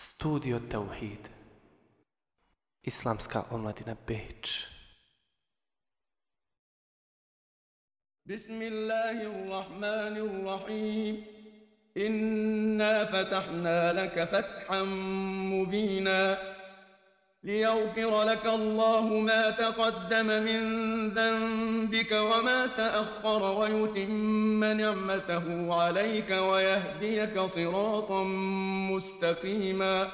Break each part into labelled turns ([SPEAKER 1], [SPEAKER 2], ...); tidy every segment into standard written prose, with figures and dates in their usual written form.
[SPEAKER 1] Studio Tauhid. Islamska omladina Beč.
[SPEAKER 2] Bismillahirrahmanirrahim. Inna fatahna laka fathan mubina. ليغفر لك الله ما تقدم من ذنبك وما تأخر ويتم نعمته عليك ويهديك صراطا مستقيما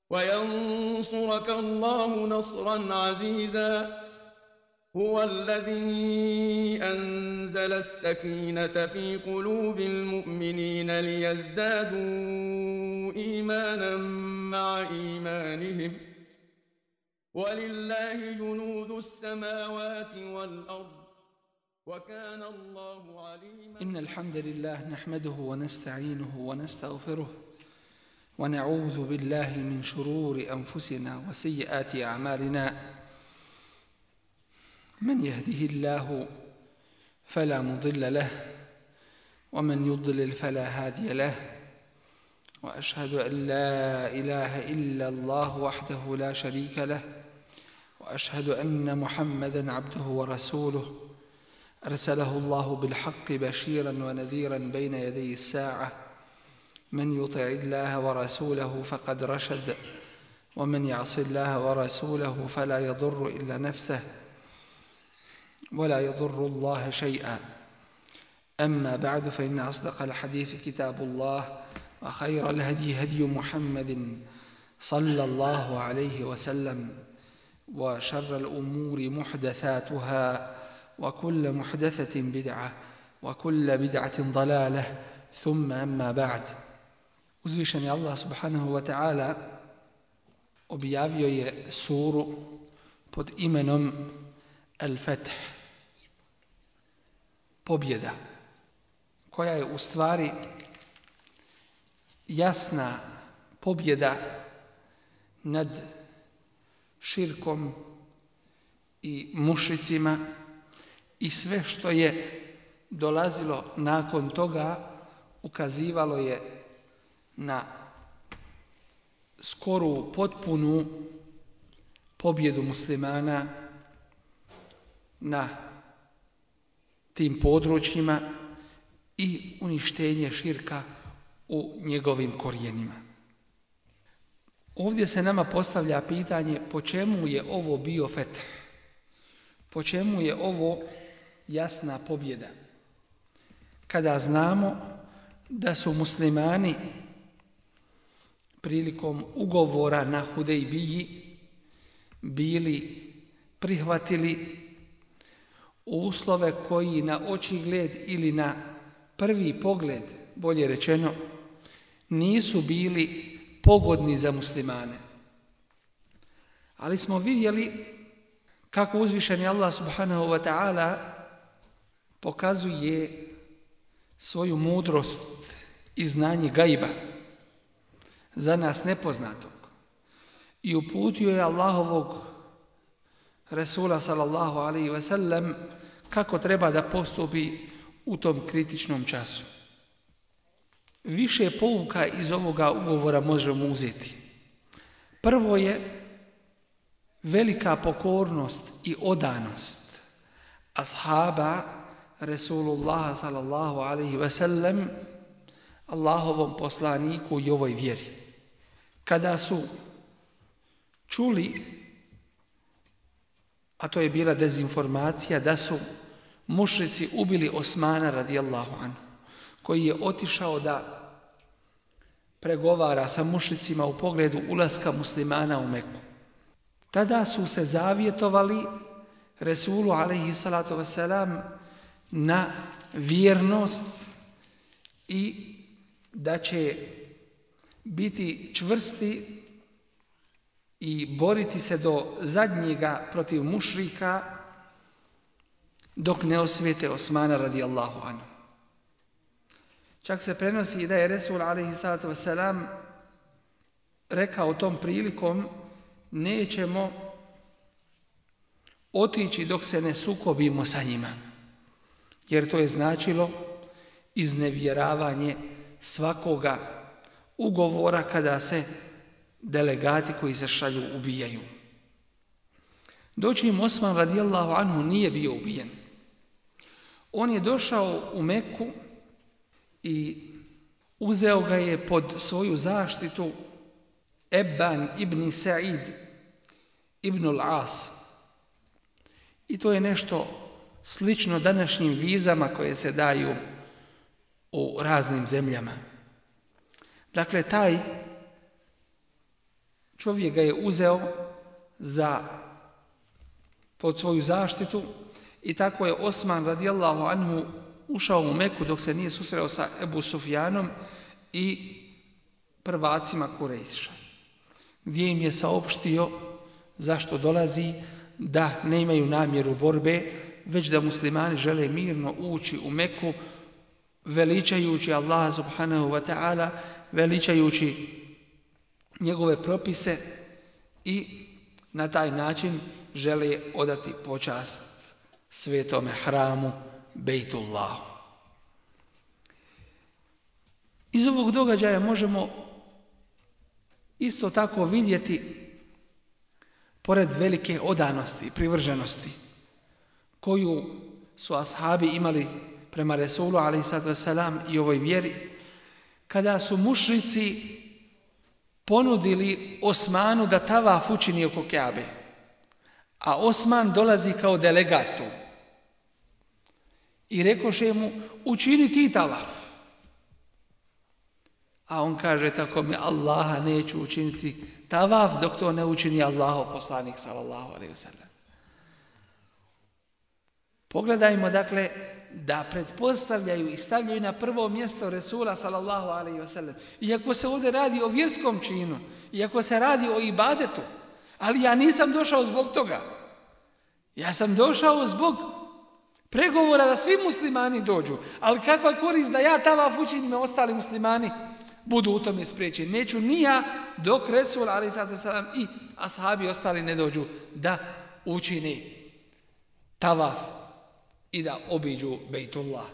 [SPEAKER 2] وينصرك الله نصرا عزيزا هو الذي أنزل السكينة في قلوب المؤمنين ليزدادوا إيمانا مع إيمانهم ولله جنود السماوات والأرض وكان الله عليما.
[SPEAKER 3] إن الحمد لله نحمده ونستعينه ونستغفره ونعوذ بالله من شرور أنفسنا وسيئات أعمالنا من يهده الله فلا مضل له ومن يضلل فلا هادي له وأشهد أن لا إله إلا الله وحده لا شريك له وأشهد أن محمدًا عبده ورسوله أرسله الله بالحق بشيرًا ونذيرًا بين يدي الساعة من يطع الله ورسوله فقد رشد ومن يعص الله ورسوله فلا يضر إلا نفسه ولا يضر الله شيئا. أما بعد فإن أصدق الحديث كتاب الله وخير الهدي هدي محمد صلى الله عليه وسلم وشر الأمور محدثاتها وكل محدثة بدعة وكل بدعة ضلالة ثم أما بعد. Uzvišeni Allah subhanahu wa ta'ala objavio je suru pod imenom Al-Fath, pobjeda, koja je u stvari jasna pobjeda nad širkom i mušricima i sve što je dolazilo nakon toga ukazivalo je na skoru potpunu pobjedu muslimana na tim područjima i uništenje širka u njegovim korijenima. Ovdje se nama postavlja pitanje po čemu je ovo bio fetih, po čemu je ovo jasna pobjeda, kada znamo da su muslimani prilikom ugovora na Hudejbiji bili prihvatili uslove koji na očigled ili na prvi pogled, bolje rečeno, nisu bili pogodni za muslimane. Ali smo vidjeli kako uzvišeni Allah subhanahu wa ta'ala pokazuje svoju mudrost i znanje gajba za nas nepoznatog i uputio je Allahovog Resula sallallahu alaihi wa sallam kako treba da postupi u tom kritičnom času. Više pouka iz ovoga ugovora možemo uzeti. Prvo je velika pokornost i odanost ashaba Resulullah sallallahu alaihi wa sallam Allahovom poslaniku i ovoj vjeri. Kada su čuli, a to je bila dezinformacija, da su mušrici ubili Osmana radijallahu anhu, koji je otišao da pregovara sa mušricima u pogledu ulaska muslimana u Meku. Tada su se zavjetovali Resulu alejhi salatu vesselam na vjernost i da će biti čvrsti i boriti se do zadnjega protiv mušrika dok ne osvijete Osmana radijallahu anhu. Čak se prenosi da je Resul alejhi salatu vesselam rekao tom prilikom: nećemo otići dok se ne sukobimo sa njima, jer to je značilo iznevjeravanje svakoga ugovora kada se delegati koji se šalju ubijaju. Dočim Osman radijallahu anhu nije bio ubijen. On je došao u Meku i uzeo ga je pod svoju zaštitu Ebban ibn Sa'id ibn al-As. I to je nešto slično današnjim vizama koje se daju u raznim zemljama. Dakle, taj čovjek ga je uzeo pod svoju zaštitu i tako je Osman radijallahu anhu ušao u Meku dok se nije susreo sa Ebu Sufjanom i prvacima Kurejša, gdje im je saopštio zašto dolazi, da ne imaju namjeru borbe, već da muslimani žele mirno ući u Meku, veličajući Allah subhanahu wa ta'ala, veličajući njegove propise i na taj način žele odati počast svetome hramu Bejtullahu. Iz ovog događaja možemo isto tako vidjeti, pored velike odanosti i privrženosti koju su ashabi imali prema Resulu a.s. i ovoj vjeri, kada su mušrici ponudili Osmanu da tavaf učini oko Kjabe, a Osman dolazi kao delegat tu. I rekoše mu, učini ti tavaf. A on kaže, tako mi Allaha neću učiniti tavaf dok to ne učini Allahov poslanik sallallahu alejhi ve sellem. Pogledajmo dakle da pretpostavljaju i stavljaju na prvo mjesto Resula sallallahu alejhi ve sellem. Iako se ovdje radi o vjerskom činu, iako se radi o ibadetu, ali ja nisam došao zbog toga. Ja sam došao zbog pregovora da svi muslimani dođu. Ali kakva korist da ja tavaf učinim, a ostali muslimani budu u tome spriječeni. Neću ni ja dok Resul alejhi selam i ashabi ostali ne dođu da učine tavaf i da obiđu Bejtullah.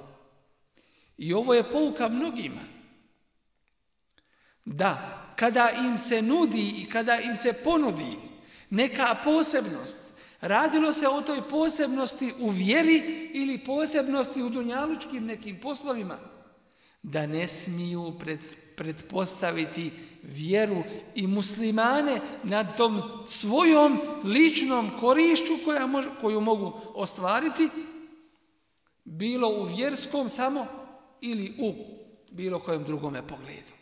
[SPEAKER 3] I ovo je pouka mnogima. Da, kada im se nudi i kada im se ponudi neka posebnost, radilo se o toj posebnosti u vjeri ili posebnosti u dunjalučkim nekim poslovima, da ne smiju pretpostaviti vjeru i muslimane nad tom svojom ličnom korišću koju mogu ostvariti, bilo u vjerskom samo ili u bilo kojem drugome pogledu.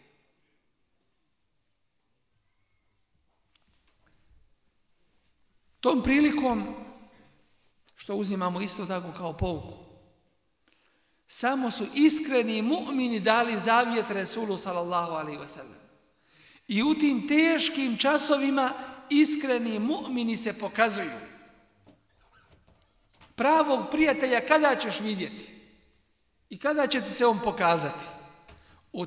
[SPEAKER 3] Tom prilikom, što uzimamo isto tako kao pouku, samo su iskreni mu'mini dali zavjet Resulu sallallahu alejhi ve sellem. I u tim teškim časovima iskreni mu'mini se pokazuju. Pravog prijatelja kada ćeš vidjeti? I kada će ti se on pokazati? U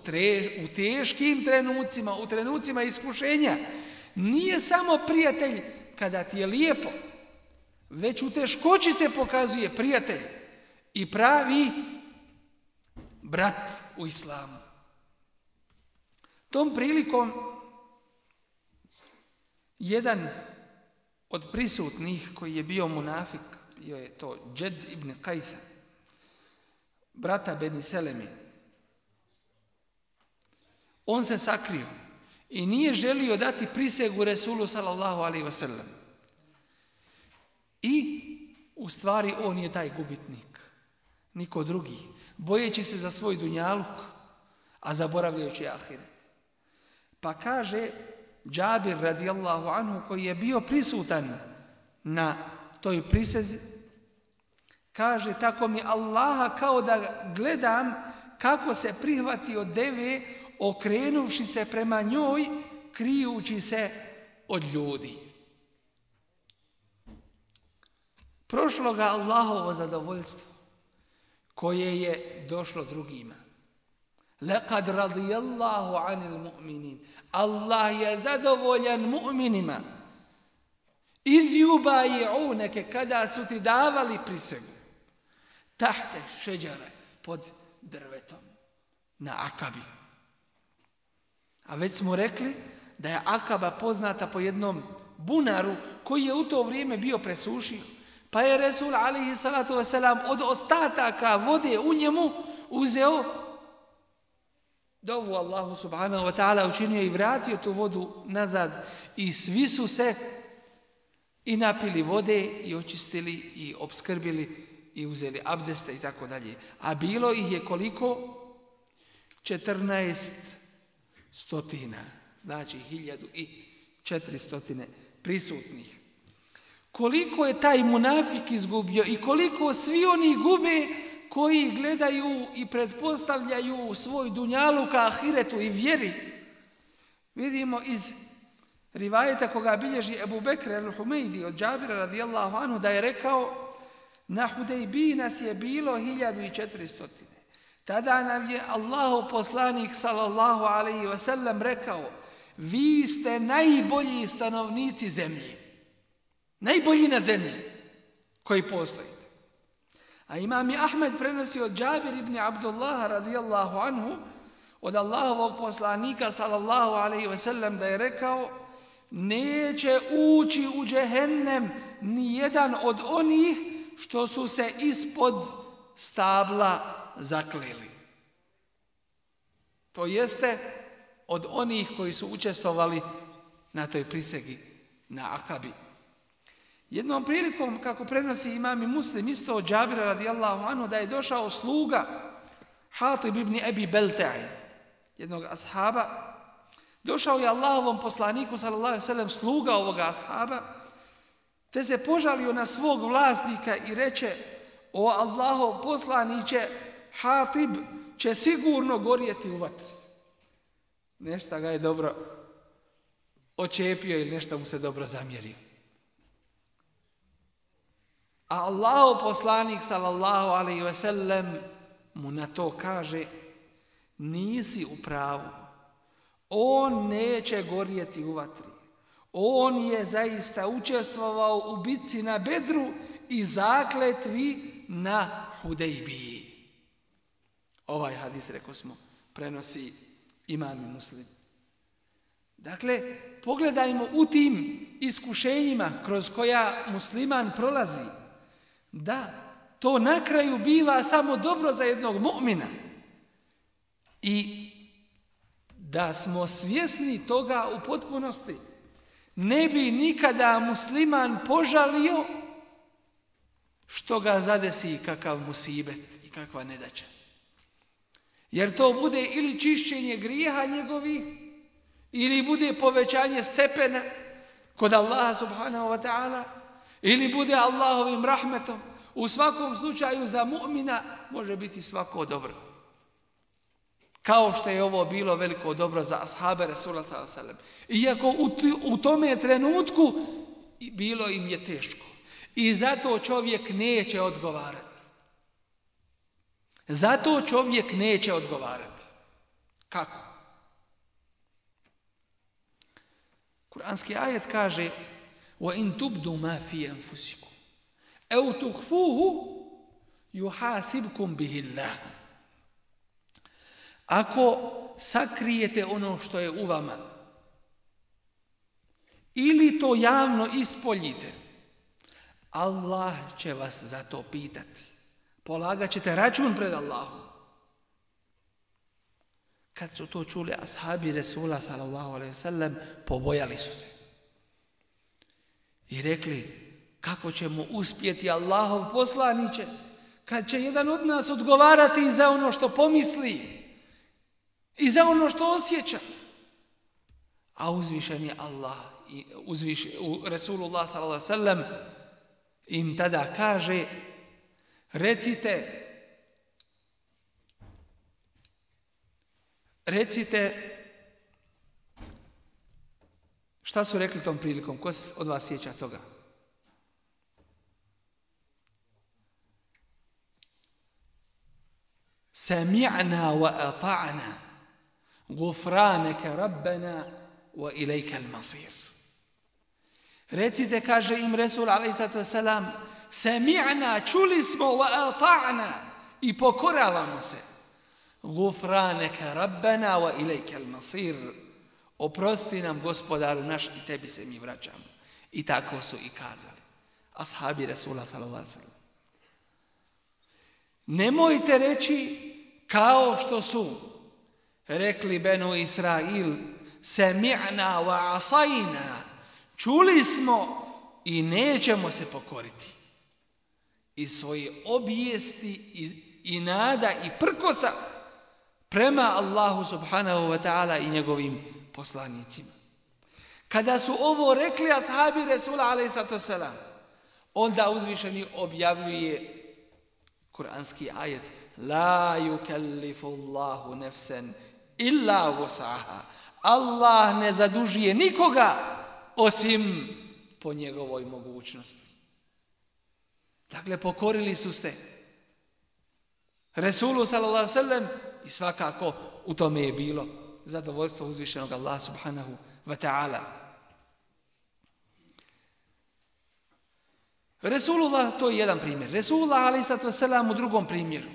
[SPEAKER 3] teškim trenucima, u trenucima iskušenja. Nije samo prijatelj kada ti je lijepo, već u teškoći se pokazuje prijatelj i pravi brat u islamu. Tom prilikom jedan od prisutnih koji je bio munafik, bio je to Džed ibn Kajsa, brata Beni Selemi. On se sakrio i nije želio dati prisegu Resulu sallallahu alejhi ve sellem. I u stvari on je taj gubitnik, niko drugi, bojeći se za svoj dunjaluk, a zaboravljajući ahiret. Pa kaže Džabir radijallahu anhu, koji je bio prisutan na toj prisezi, kaže, tako mi Allaha, kao da gledam kako se prihvati od deve, okrenuvši se prema njoj, krijući se od ljudi. Prošlo ga Allahovo zadovoljstvo, koje je došlo drugima. Laqad radijallahu anil mu'minin. Allah je zadovoljan mu'minima. Iz yubayi'unake, kada su ti davali prisegu. Tahte šeđare, pod drvetom, na Akabi. A već smo rekli da je Akaba poznata po jednom bunaru koji je u to vrijeme bio presušio. Pa je Resul alejhi salatu vesselam od ostataka vode u njemu uzeo dovu Allahu subhanahu wa ta'ala, učinio i vratio tu vodu nazad i svi su se i napili vode i očistili i opskrbili i uzeli abdeste i tako dalje. A bilo ih je koliko? 1400, znači 1400 prisutnih. Koliko je taj munafik izgubio i koliko svi oni gube koji gledaju i pretpostavljaju svoj dunjaluk ka ahiretu i vjeri. Vidimo iz rivajeta koga bilježi Ebu Bekr al-Humejdi od Džabira radijallahu anhu da je rekao: na Hudejbiji nas je bilo 1400. Tada nam je Allahov poslanik sallallahu alejhi ve sellem rekao: vi ste najbolji stanovnici zemlje. Najbolji na zemlji koji postoji. A imam i Ahmed prenosi od Džabir ibn Abdullaha radijallahu anhu od Allahovog poslanika sallallahu alejhi ve sellem da je rekao: neće ući u džehennem ni jedan od onih što su se ispod stabla zakleli. To jeste od onih koji su učestvovali na toj prisegi na Akabi. Jednom prilikom, kako prenosi imam i Muslim, isto od Džabira radijallahu anhu, da je došao sluga Hatib ibn Abi Belta'i, jednog ashaba. Došao je Allahovom poslaniku sallallahu alejhi ve sellem sluga ovoga ashaba, te se požalio na svog vlasnika i reče: o Allahov poslaniće, Hatib će sigurno gorjeti u vatri. Nešto ga je dobro očepio ili nešto mu se dobro zamjerio. A Allahov poslanik sallallahu alejhi ve sellem mu na to kaže: nisi u pravu. On neće gorjeti u vatri. On je zaista učestvovao u bitci na Bedru i zakletvi na Hudejbiji. Ovaj hadis, rekao smo, prenosi imam i Muslim. Dakle, pogledajmo u tim iskušenjima kroz koja musliman prolazi, da to na kraju biva samo dobro za jednog mu'mina. I da smo svjesni toga u potpunosti, ne bi nikada musliman požalio što ga zadesi kakav musibet i kakva nedaća. Jer to bude ili čišćenje grijeha njegovih, ili bude povećanje stepena kod Allaha subhanahu wa ta'ala, ili bude Allahovim rahmetom. U svakom slučaju za mu'mina može biti svako dobro. Kao što je ovo bilo veliko dobro za ashabe Rasula sallallahu alejhi ve sellem. Iako u tome trenutku bilo im je teško. I zato čovjek neće odgovarati. Zato čovjek neće odgovarati. Kako? Kur'anski ajet kaže: وَإِن تُبْدُوا مَا فِي أَنفُسِكُمْ أَوْ تُخْفُوهُ يُحَاسِبْكُمْ بِهِ اللَّهُ. Ako sakrijete ono što je u vama ili to javno ispoljite, Allah će vas za to pitati. Polagat ćete račun pred Allahom. Kad su to čuli ashabi Resula sallallahu alejhi ve sellem, pobojali su se. I rekli: kako ćemo uspjeti, Allahov poslaniće, kad će jedan od nas odgovarati za ono što pomisli i za ono što osjeća. A uzvišen je Allah i Resulullah sallallahu alejhi ve sellem im tada kaže: recite, šta su rekli tom prilikom? Ko se od vas sjeća toga? Sami'na wa ata'na gufranaka rabbana wa ilajka al-masir. Recite, kaže im Resul alejhi selam, sami'na, čuli smo, wa ata'na, i pokoravamo se. Gufranaka rabbana wa ilajka al-masir. oprosti nam gospodaru naš i tebi se mi vraćamo. I tako su i kazali ashabi Resula sallallahu alejhi ve sellem. Nemojte reći kao što su rekli Benu Israil, sami'na wa asajna, čuli smo i nećemo se pokoriti. I svoje obijesti i nada i prkosa prema Allahu subhanahu wa ta'ala i njegovim poslanicima. Kada su ovo rekli ashabi Resula alejhi selam, onda uzvišeni objavljuje kuranski ajet: La yukallifu Allahu nafsan illa wus'aha. Allah ne zadužuje nikoga osim po njegovoj mogućnosti. Dakle, pokorili su se Resulu sallallahu alejhi ve sellem i svakako u tome je bilo zadovoljstvo uzvišenog Allaha subhanahu wa ta'ala. Resulullah, to je jedan primjer. Resulullah alejhi selam u drugom primjeru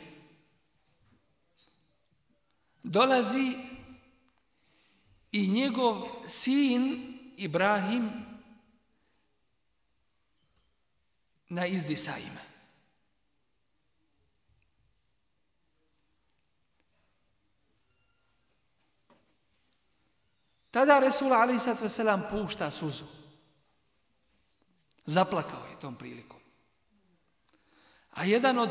[SPEAKER 3] dolazi i njegov sin Ibrahim na izdisajima. Tada Resul alejhi selam pušta suzu. Zaplakao je tom prilikom. A jedan od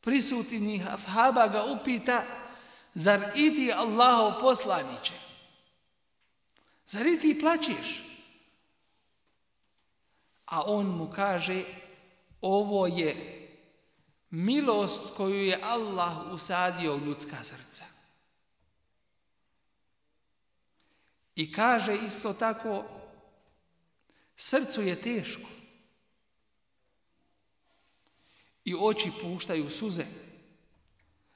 [SPEAKER 3] prisutnih ashaba ga upita: zar i ti Allahov poslaniče? Zar i ti plačeš? A on mu kaže: ovo je milost koju je Allah usadio u ljudska srca. I kaže isto tako: srcu je teško i oči puštaju suze,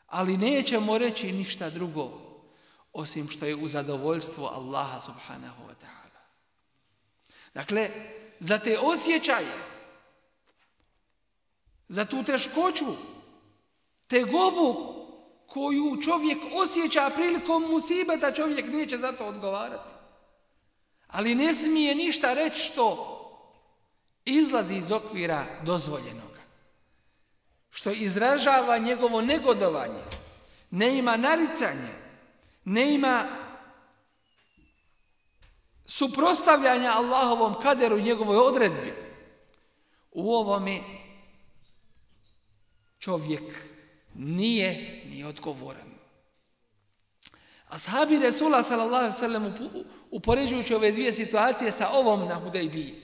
[SPEAKER 3] ali nećemo reći ništa drugo osim što je u zadovoljstvo Allaha subhanahu wa ta'ala. Dakle, za te osjećaje, za tu teškoću, tegobu koju čovjek osjeća prilikom musibeta, čovjek neće za to odgovarati. Ali ne smije ništa reći što izlazi iz okvira dozvoljenoga, što izražava njegovo negodovanje, ne ima naricanje, ne ima suprotstavljanja Allahovom kaderu i njegovoj odredbi. U ovome čovjek nije ni odgovoran. Ashabi Resula sallallahu alejhi ve sellem upoređujući ove dvije situacije sa ovom na Hudejbiji,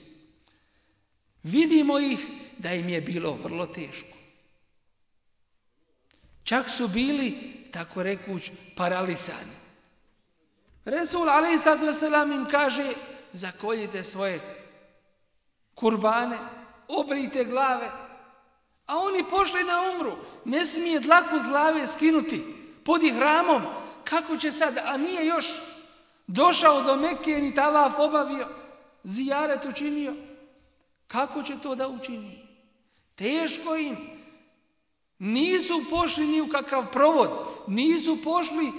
[SPEAKER 3] vidimo ih da im je bilo vrlo teško. Čak su bili, tako rekuć, paralisani. Resul alejhi selam im kaže: zakoljite svoje kurbane, obrijte glave. A oni pošli na umru. Ne smije dlaku s glave skinuti pod ihramom. Kako će sad, a nije još došao do Mekke ni tavaf obavio, zijaret učinio. Kako će to da učini? Teško im. Nisu pošli ni u kakav provod, nisu pošli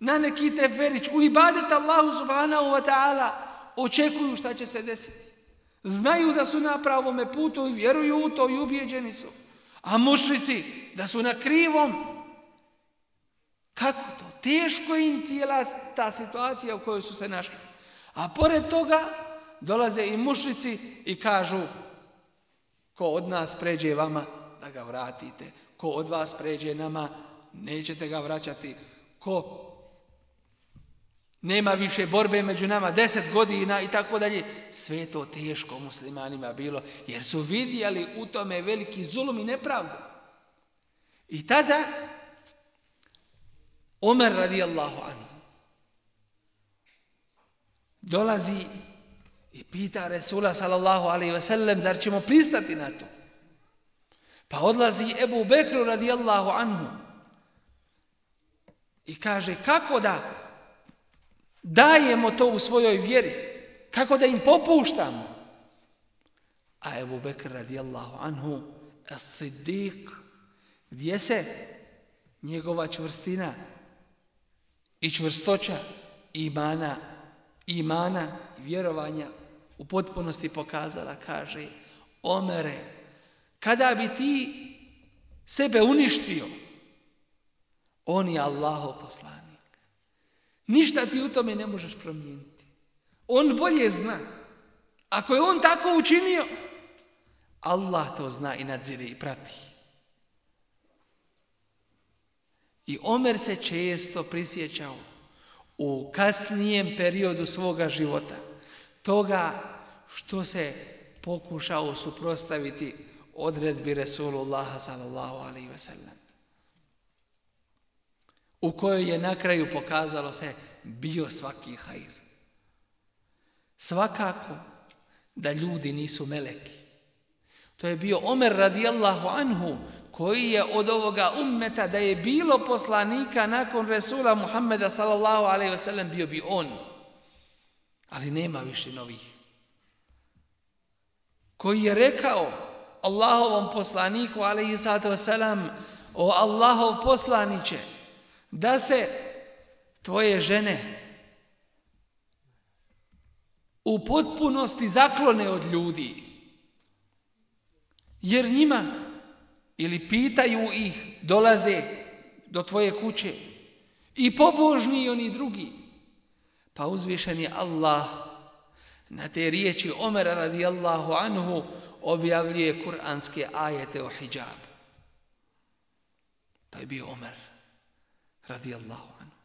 [SPEAKER 3] na neki teferić, u ibadet Allahu subhanahu wa ta'ala, očekuju šta će se desiti. Znaju da su na pravome putu i vjeruju u to i ubijeđeni su. A mušrici da su na krivom. Kako to? Teško im cijela ta situacija u kojoj su se našli. A pored toga dolaze i mušrici i kažu: ko od nas pređe vama, da ga vratite. Ko od vas pređe nama, nećete ga vraćati. Ko nema više borbe među nama 10 godina i tako dalje. Sve je to teško muslimanima bilo, jer su vidjeli u tome veliki zulum i nepravdu. I tada Omer radijallahu anhu dolazi i pita Resula sallallahu alejhi ve sellem: zar ćemo pristati na to? Pa odlazi Ebu Bekru radijallahu anhu i kaže: kako da dajemo to u svojoj vjeri? Kako da im popuštamo? A Ebu Bekr radijallahu anhu, as-Siddiq, gdje se njegova čvrstina i čvrstoća imana i vjerovanja u potpunosti pokazala, kaže: Omere, kada bi ti sebe uništio, on je Allahov poslanik. Ništa ti u tome ne možeš promijeniti. On bolje zna. Ako je on tako učinio, Allah to zna i nadzire i prati. I Omer se često prisjećao u kasnijem periodu svoga života toga što se pokušao suprotstaviti odredbi Resulullaha sallallahu alejhi ve sellem, u kojoj je na kraju pokazalo se bio svaki hajr. Svakako da ljudi nisu meleki. To je bio Omer radijallahu anhu, koji je od ovoga ummeta, da je bilo poslanika nakon Resula Muhammeda sallallahu alejhi ve sellem, bio bi on. Ali nema više novih. Koji je rekao Allahovom poslaniku alejhi salatu vesselam: o Allahov poslaniće, da se tvoje žene u potpunosti zaklone od ljudi, jer njima ili pitaju ih, dolaze do tvoje kuće i pobožni i oni drugi. Pa uzvišeni Allah na te riječi Omera radijallahu anhu objavljuje kuranske ajete o hidžabu. To je bio Omer radijallahu anhu.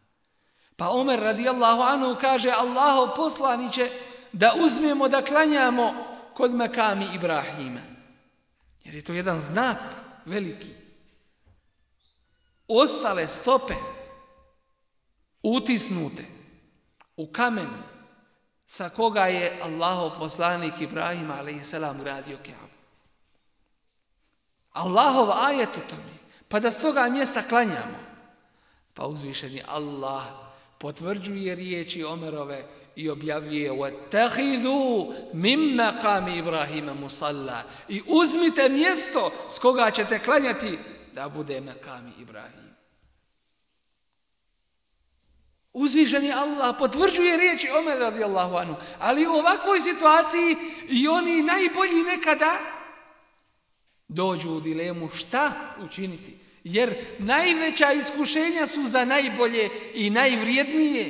[SPEAKER 3] Pa Omer radijallahu anhu kaže: Allahov poslaniće, da uzmemo da klanjamo kod makami Ibrahima. Jer je to jedan znak veliki. Ostale stope utisnute u kamenu sa koga je Allahov poslanik Ibrahim alejhi selam gradio Kaabu. Allahov ajet u tome, pa da s toga mjesta klanjamo. Pa uzvišeni Allah potvrđuje riječi Omerove i objavljuje: وَاتَّخِذُوا مِنْ مَقَامِ إِبْرَاهِيمَ مُصَلَّى, i uzmite mjesto s koga ćete klanjati da bude makami Ibrahim. Uzvišeni Allah potvrđuje riječi Omer radijallahu anhu, ali u ovakvoj situaciji i oni najbolji nekada dođu u dilemu šta učiniti, jer najveća iskušenja su za najbolje i najvrijednije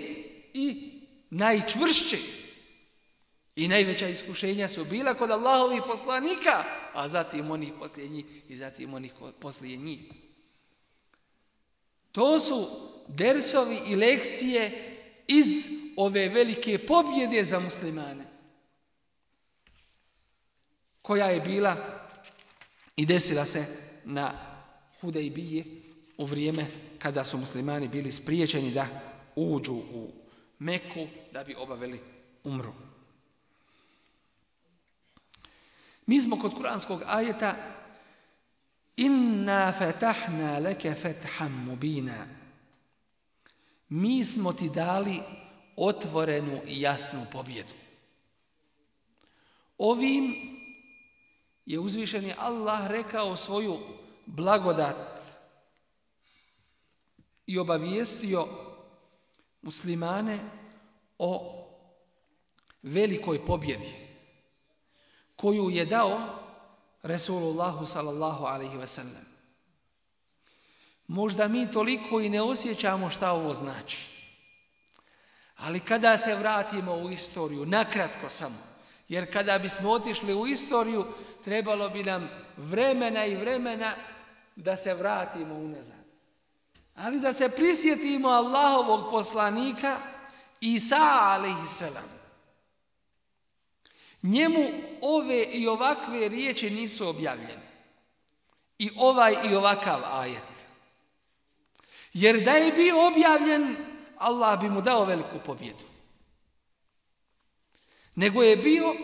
[SPEAKER 3] i najčvršće. I najveća iskušenja su bila kod Allahovih poslanika, a zatim onih poslije njih i zatim onih poslije njih. To su dersovi i lekcije iz ove velike pobjede za muslimane, koja je bila i desila se na Hudejbiji u vrijeme kada su muslimani bili spriječeni da uđu u Meku da bi obavili umru. Mi smo kod kuranskog ajeta: Inna fatahna leke fetham mubina. Mi smo ti dali otvorenu i jasnu pobjedu. Ovim je uzvišeni Allah rekao svoju blagodat i obavijestio muslimane o velikoj pobjedi koju je dao Resulullahu sallallahu alejhi ve sellem. Možda mi toliko i ne osjećamo šta ovo znači. Ali kada se vratimo u istoriju, nakratko samo, jer kada bismo otišli u istoriju, trebalo bi nam vremena i vremena da se vratimo unazad. Ali da se prisjetimo Allahovog poslanika Isa alejhiselam. Njemu ove i ovakve riječi nisu objavljene. I ovaj i ovakav ajet. Jer da je bio objavljen, Allah bi mu dao veliku pobjedu. Nego je bio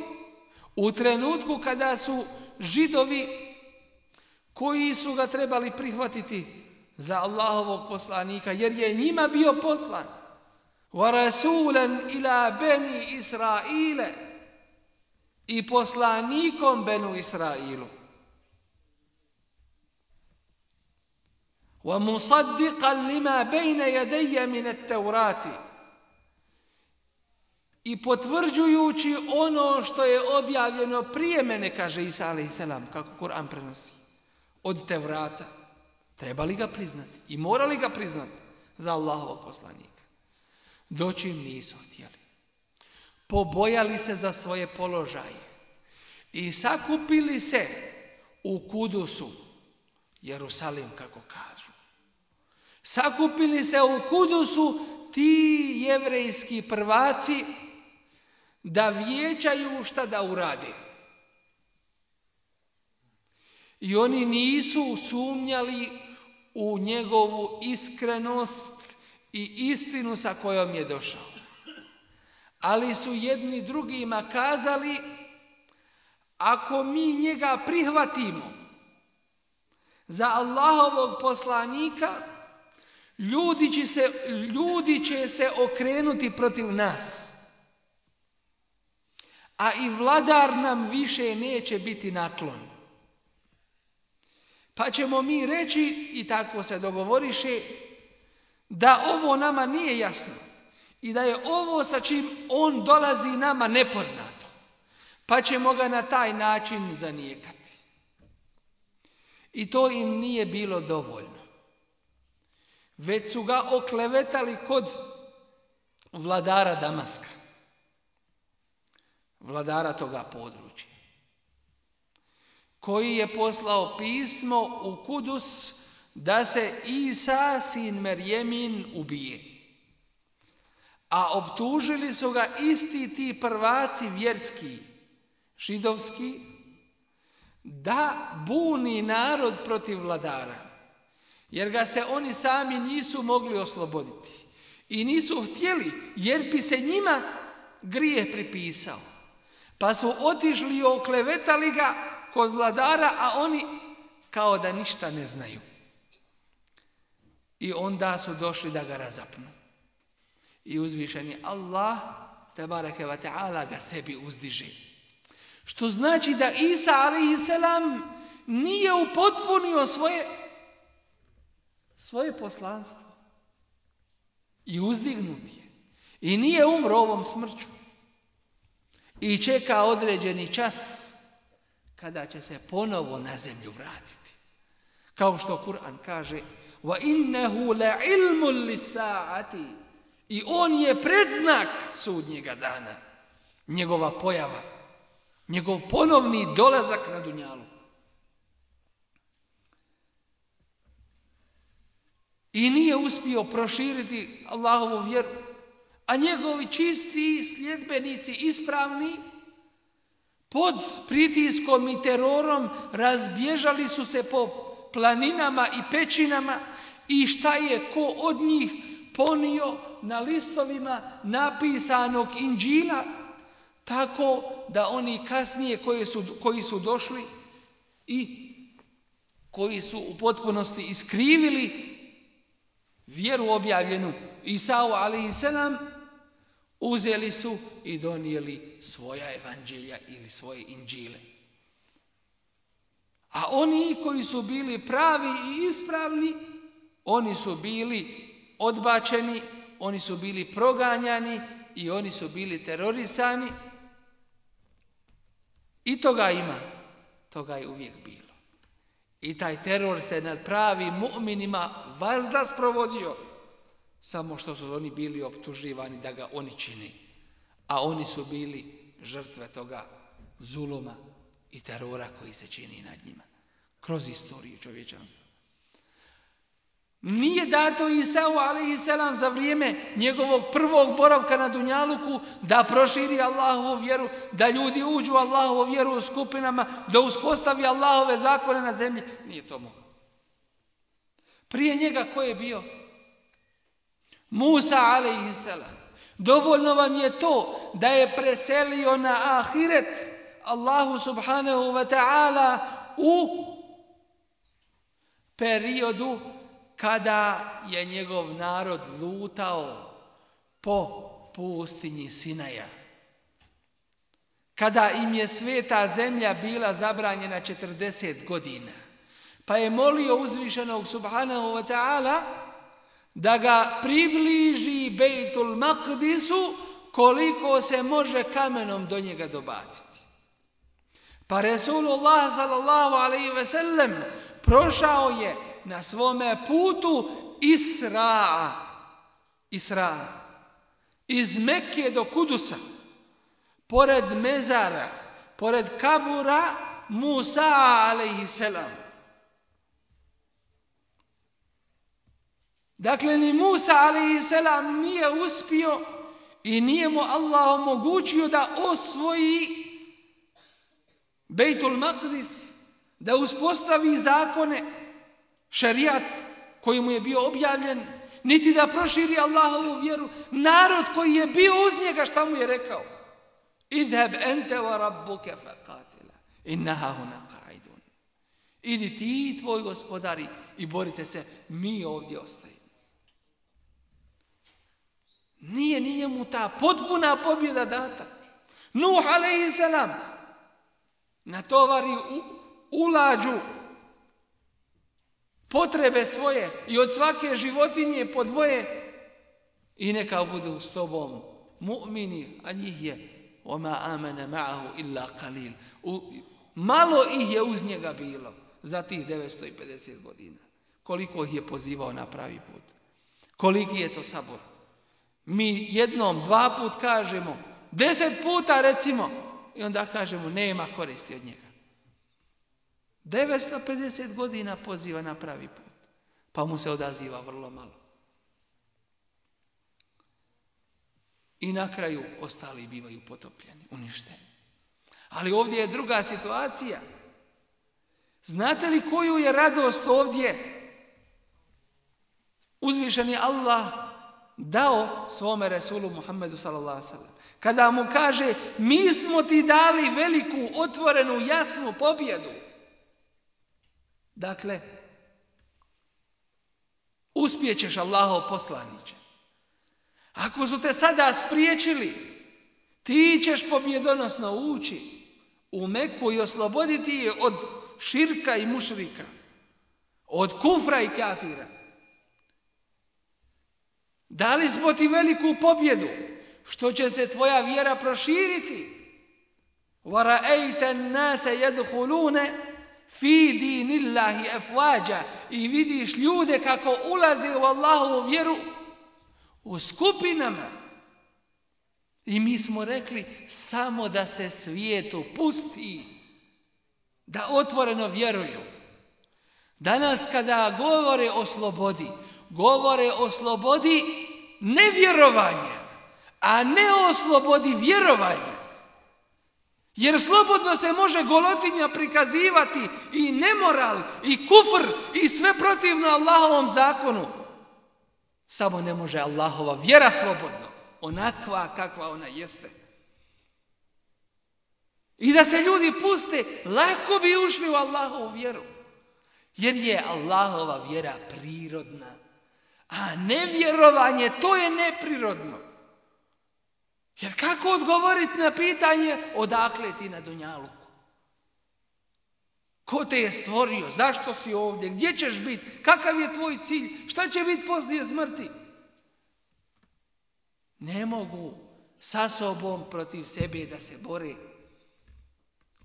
[SPEAKER 3] u trenutku kada su Židovi, koji su ga trebali prihvatiti za Allahovog poslanika, jer je njima bio poslan, وَرَسُولًا إِلَى بَنِي إِسْرَائِيلَ, i poslanikom Benu Israilu, وَمُصَدِّقًا لِمَا بَيْنَ يَدَيَّ مِنَ التَّوْرَاتِ, i potvrđujući ono što je objavljeno prije mene, kaže Isa a.s., kako Kur'an prenosi, od Tevrata, trebali ga priznati i morali ga priznati za Allahovog poslanika. Doći nisu htjeli. Pobojali se za svoje položaje i sakupili se u Kudusu, Jerusalim kako kažu. Sakupili se u Kudusu ti jevrejski prvaci da vijećaju šta da urade. I oni nisu sumnjali u njegovu iskrenost i istinu sa kojom je došao. Ali su jedni drugima kazali, ako mi njega prihvatimo za Allahovog poslanika, ljudi će se okrenuti protiv nas. A i vladar nam više neće biti naklon. Pa ćemo mi reći, i tako se dogovoriše, da ovo nama nije jasno i da je ovo sa čim on dolazi nama nepoznato. Pa ćemo ga na taj način zanijekati. I to im nije bilo dovoljno. Već su ga oklevetali kod vladara Damaska, vladara toga područja, koji je poslao pismo u Kudus da se Isa, sin Merjemin, ubije. A optužili su ga isti ti prvaci vjerski, židovski, da buni narod protiv vladara, jer ga se oni sami nisu mogli osloboditi. I nisu htjeli, jer bi se njima grijeh pripisao. Pa su otišli i oklevetali ga kod vladara, a oni kao da ništa ne znaju. I onda su došli da ga razapnu. I uzvišeni Allah, tebareke ve ta'ala, ga sebi uzdiže. Što znači da Isa a.s. nije upotpunio svoje poslanstvo. I uzdignut je. I nije umro ovom smrću. I čeka određeni čas kada će se ponovo na zemlju vratiti. Kao što Kur'an kaže: وَإِنَّهُ لَعِلْمٌ لِسَّاعَةِ. I on je predznak sudnjega dana. Njegova pojava. Njegov ponovni dolazak na dunjalu. I nije uspio proširiti Allahovu vjeru. A njegovi čisti sljedbenici, ispravni, pod pritiskom i terorom razbježali su se po planinama i pećinama i šta je ko od njih ponio na listovima napisanog Inđila, tako da oni kasnije koji su došli i koji su u potpunosti iskrivili vjeru objavljenu Isau a.s. uzeli su i donijeli svoja evanđelja ili svoje Inđile. A oni koji su bili pravi i ispravni, oni su bili odbačeni, oni su bili proganjani i oni su bili terorisani. I toga ima, toga je uvijek bilo. I taj teror se nad pravim mu'minima vazda sprovodio, samo što su oni bili optuživani da ga oni čini. A oni su bili žrtve toga zuluma i terora koji se čini nad njima. Kroz istoriju čovječanstva. Nije dato Isau a.s. za vrijeme njegovog prvog boravka na dunjaluku da proširi Allahovu vjeru, da ljudi uđu u Allahovu vjeru u skupinama, da uspostavi Allahove zakone na zemlji. Nije to moglo. Prije njega ko je bio? Musa a.s. Dovoljno vam je to da je preselio na ahiret Allahu subhanahu wa ta'ala u periodu kada je njegov narod lutao po pustinji Sinaja. Kada im je sveta zemlja bila zabranjena 40 godina. Pa je molio uzvišenog subhanahu wa ta'ala da ga približi Bejtul Maqdisu koliko se može kamenom do njega dobaciti. Pa Resulullah sallallahu alejhi ve sellem prošao je na svome putu Isra iz Mekke do Kudusa, pored mezara, pored kabura Musa alejhi selam. Dakle, ni Musa alejhi selam nije uspio i nije mu Allah omogućio da osvoji Bejtul Maqdis, da uspostavi zakone, šerijat koji mu je bio objavljen, niti da proširi Allahovu vjeru. Narod koji je bio uz njega, šta mu je rekao? Idheb ente wa rabbuke faqatila inna hahuna qa'idun. Idi ti i tvoj gospodari i borite se, mi ovdje ostajemo. Nije ni njemu ta potpuna pobjeda data. Nuh alejhi selam natovari u lađu potrebe svoje i od svake životinje po dvoje i neka budu s tobom mu'mini, a njih je وَمَا آمَنَ مَعَهُ إِلَّا قَلِيلٌ. Malo ih je uz njega bilo za tih 950 godina. Koliko ih je pozivao na pravi put. Koliki je to sabor. Mi jednom, 2 put kažemo, 10 puta recimo i onda kažemo nema koristi od njega. 950 godina poziva na pravi put, pa mu se odaziva vrlo malo. I na kraju ostali bivaju potopljeni, uništeni. Ali ovdje je druga situacija. Znate li koju je radost ovdje uzvišeni Allah dao svome Resulu Muhammedu sallallahu alejhi ve sellem? Kada mu kaže mi smo ti dali veliku, otvorenu, jasnu pobjedu. Dakle, uspjećeš Allahov poslaniče. Ako su te sada spriječili, ti ćeš pobjedonosno ući u Meku i osloboditi je od širka i mušrika, od kufra i kafira. Dali smo ti veliku pobjedu, što će se tvoja vjera proširiti. وَرَأَيْتَ النَّاسَ يَدْخُلُونَ فِي دِينِ اللَّهِ أَفْوَاجًا. I vidiš ljude kako ulaze u Allahovu vjeru u skupinama. I mi smo rekli samo da se svijetu pusti, da otvoreno vjeruju. Danas kada govore o slobodi nevjerovanja, a ne o slobodi vjerovanja. Jer slobodno se može golotinja prikazivati i nemoral, i kufr, i sve protivno Allahovom zakonu. Samo ne može Allahova vjera slobodno, onakva kakva ona jeste. I da se ljudi puste, lako bi ušli u Allahovu vjeru. Jer je Allahova vjera prirodna. A nevjerovanje, to je neprirodno. Jer kako odgovoriti na pitanje odakle ti na dunjaluku? Ko te je stvorio? Zašto si ovdje? Gdje ćeš biti? Kakav je tvoj cilj? Šta će biti poslije smrti? Ne mogu sa sobom protiv sebe da se bore.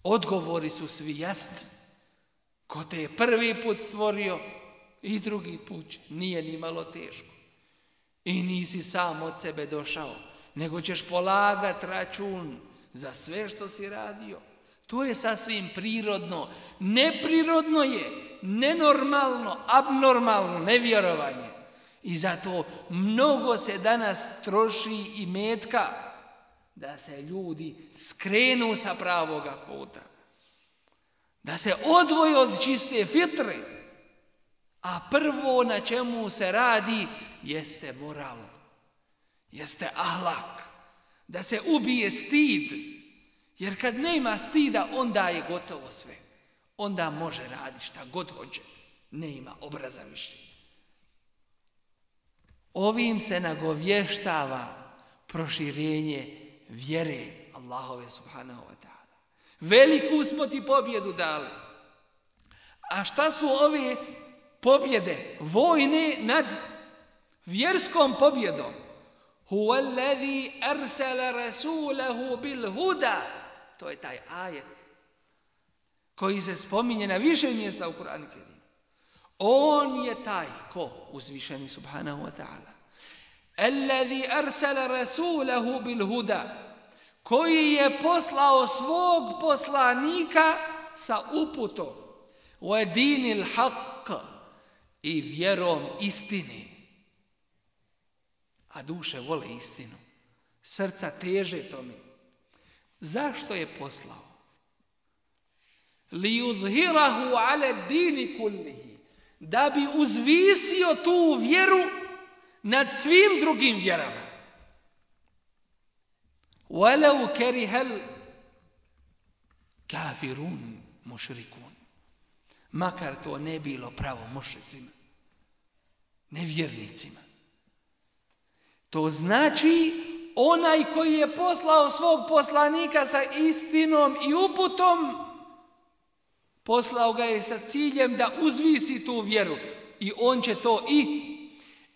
[SPEAKER 3] Odgovori su svi jasni. Ko te je prvi put stvorio i drugi put nije ni malo teško. I nisi sam od sebe došao, nego ćeš polagati račun za sve što si radio. To je sasvim prirodno. Neprirodno je, nenormalno, abnormalno nevjerovanje. I zato mnogo se danas troši i metka da se ljudi skrenu sa pravoga puta. Da se odvoje od čiste fitre. A prvo na čemu se radi jeste moral. Jeste ahlak. Da se ubije stid. Jer kad nema stida, onda je gotovo sve. Onda može raditi šta god hoće. Ne ima obraza više. Ovim se nagovještava proširenje vjere Allahove subhanahu wa ta'ala. Veliku smo ti pobjedu dali. A šta su ove pobjede? Vojne nad vjerskom pobjedom. Huwa alladhi arsala rasulahu bil huda. To je taj ajet koji se spominje na više mjesta u Kur'anu Kerimu. On je taj ko? Uzvišeni subhanahu wa ta'ala. Alladhi arsala rasulahu bil huda. Koji je poslao svog poslanika sa uputom. Wa dinil haqq. I vjerom istine. A duše vole istinu. Srca teže tome. Zašto je poslao? Li yuzhirahu ala dini kullihi. Da bi uzvisio tu vjeru nad svim drugim vjerama. Walau karihal kafirun mušrikun. Makar to ne bilo pravo mušricima, nevjernicima. To znači onaj koji je poslao svog poslanika sa istinom i uputom, poslao ga je sa ciljem da uzvisi tu vjeru i on će to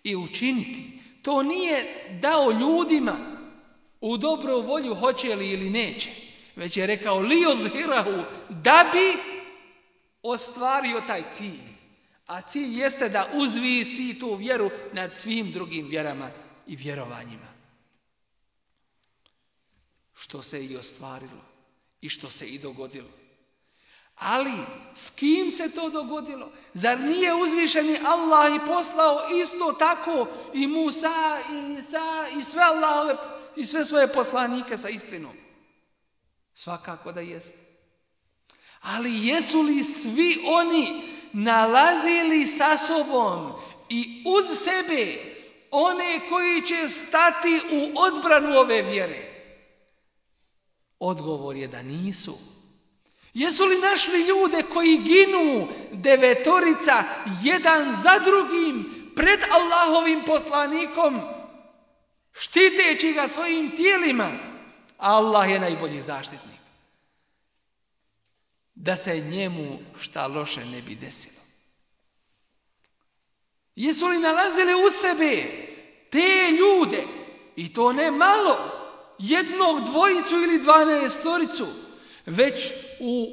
[SPEAKER 3] i učiniti. To nije dao ljudima u dobru volju hoće li ili neće, već je rekao li yuzhirahu, da bi ostvario taj cilj. A cilj jeste da uzvisi tu vjeru nad svim drugim vjerama i vjerovanjima. Što se i ostvarilo i što se i dogodilo. Ali s kim se to dogodilo? Zar nije uzvišeni Allah i poslao isto tako i Musa i Isa i sve Allahove i sve svoje poslanike sa istinom? Svakako da jest. Ali jesu li svi oni nalazili sa sobom i uz sebe one koji će stati u odbranu ove vjere? Odgovor je da nisu. Jesu li našli ljude koji ginu 9 jedan za drugim pred Allahovim poslanikom, štiteći ga svojim tijelima? Allah je najbolji zaštitnik. Da se njemu šta loše ne bi desilo. Jesu li nalazili u sebe te ljude, i to ne malo, 1, 2 ili 12, već u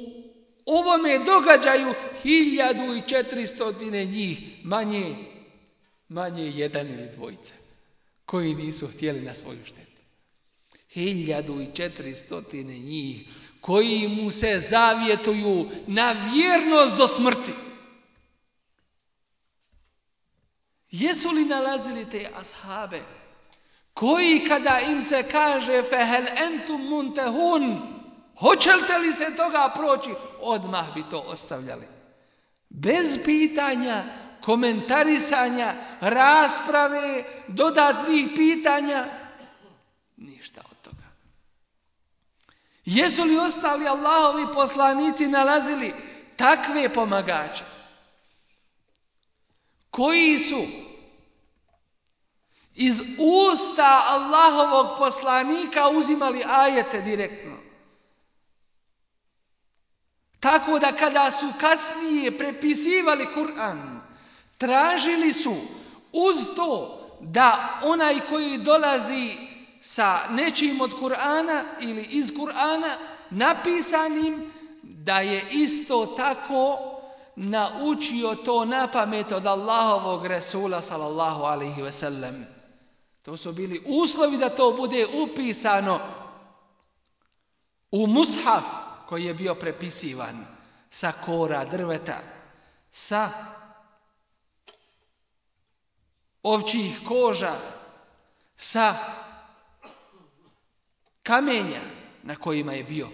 [SPEAKER 3] ovome događaju 1400 njih, manje 1 ili 2, koji nisu htjeli na svoju štetu. 1400 njih koji mu se zavjetuju na vjernost do smrti. Jesu li nalazili te ashabe koji kada im se kaže fehel entum muntehun, hoćete li se toga proći, odmah bi to ostavljali? Bez pitanja, komentarisanja, rasprave, dodatnih pitanja, ništa od toga. Jesu li ostali Allahovi poslanici nalazili takve pomagače koji su iz usta Allahovog poslanika uzimali ajete direktno? Tako da kada su kasnije prepisivali Kur'an, tražili su uz to da onaj koji dolazi sa nečim od Kur'ana ili iz Kur'ana napisanim, da je isto tako naučio to na pamet od Allahovog Resula sallallahu alaihi ve sellem. To su bili uslovi da to bude upisano u mushaf koji je bio prepisivan sa kora drveta, sa ovčjih koža, sa kamenja na kojima je bio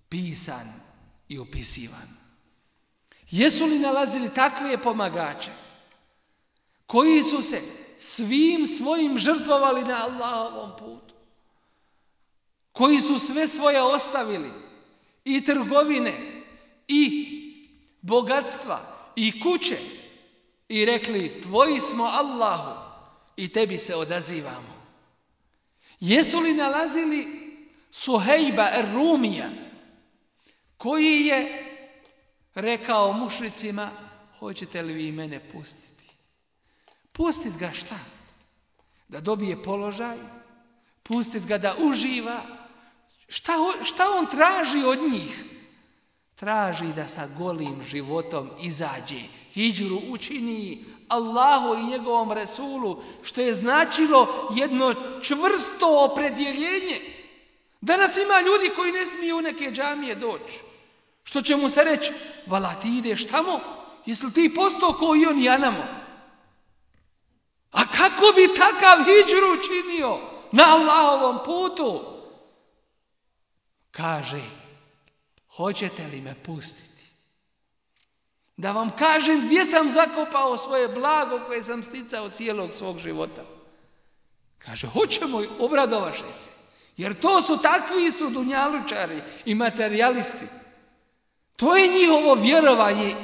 [SPEAKER 3] pisan i upisivan. Jesu li nalazili takve pomagače koji su se svim svojim žrtvovali na Allahovom putu, koji su sve svoje ostavili, i trgovine, i bogatstva, i kuće, i rekli tvoji smo Allahu i tebi se odazivamo? Jesu li nalazili Suhejba er-Rumija koji je rekao mušricima, hoćete li vi mene pustiti? Pustit ga šta? da dobije položaj, pustiti ga da uživa. Šta on traži od njih? Traži da sa golim životom izađe, hidžru učini Allahu i njegovom Resulu, što je značilo jedno čvrsto opredjeljenje. Danas ima ljudi koji ne smiju u neke džamije doći. Što će mu se reći, vala ti ideš tamo, jesi ti postao ko i on janamo? A kako bi takav hidžru učinio na Allahovom putu? Kaže, hoćete li me pustiti? Da vam kažem gdje sam zakopao svoje blago koje sam sticao cijelog svog života. Kaže, hoćemo, obradovaše se. Jer to su takvi su dunjalučari i materijalisti. To je njihovo vjerovanje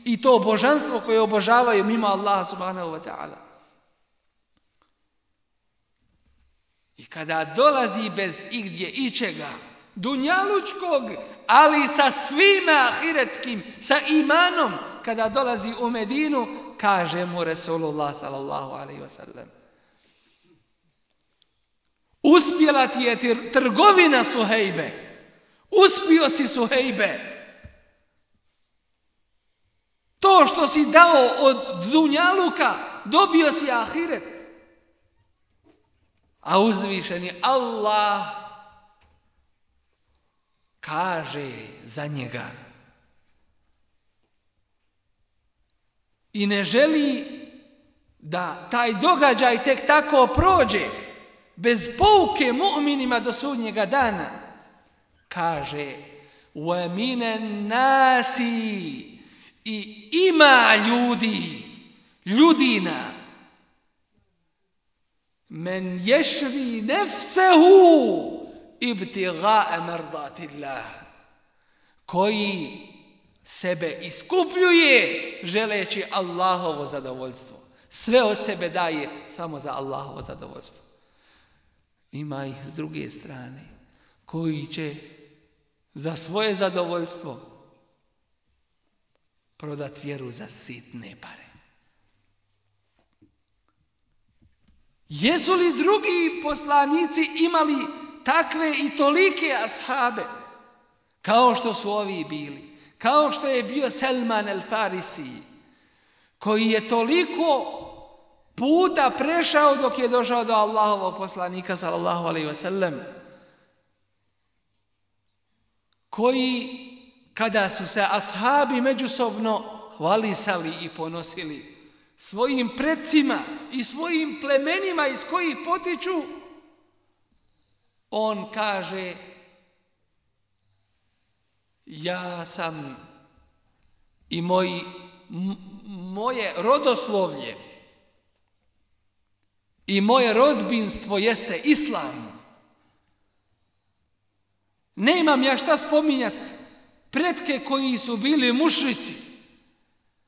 [SPEAKER 3] i to božanstvo koje obožavaju mimo Allaha subhanahu wa ta'ala. I kada dolazi bez igdje ičega, dunjalučkog, ali sa svime ahiretskim, sa imanom, kada dolazi u Medinu, kaže mu Resulullah sallallahu alaihi wa sallam, uspjela ti je trgovina Suhejbe, uspio si Suhejbe. To što si dao od dunjaluka, dobio si ahiret. A uzvišeni Allah kaže za njega i ne želi da taj događaj tek tako prođe bez pouke mu'minima do sudnjega dana. Kaže وَمِنَ النَّاسِ i ima ljudina men ješri nefsehu ibtiga'a mardatillah, koji sebe iskupljuje želeći Allahovo zadovoljstvo. Sve od sebe daje samo za Allahovo zadovoljstvo. Ima ih s druge strane koji će za svoje zadovoljstvo prodat vjeru za sitne pare. Jesu li drugi poslanici imali takve i tolike ashabe kao što su ovi bili? Kao što je bio Selman el-Farisi, koji je toliko puta prešao dok je došao do Allahovog poslanika sallallahu alejhi ve sellem, koji kada su se ashabi međusobno hvalisali i ponosili svojim precima i svojim plemenima iz kojih potiču, on kaže: ja sam i moje rodoslovlje i moje rodbinstvo jeste islam. Nemam ja šta spominjati pretke koji su bili mušrici,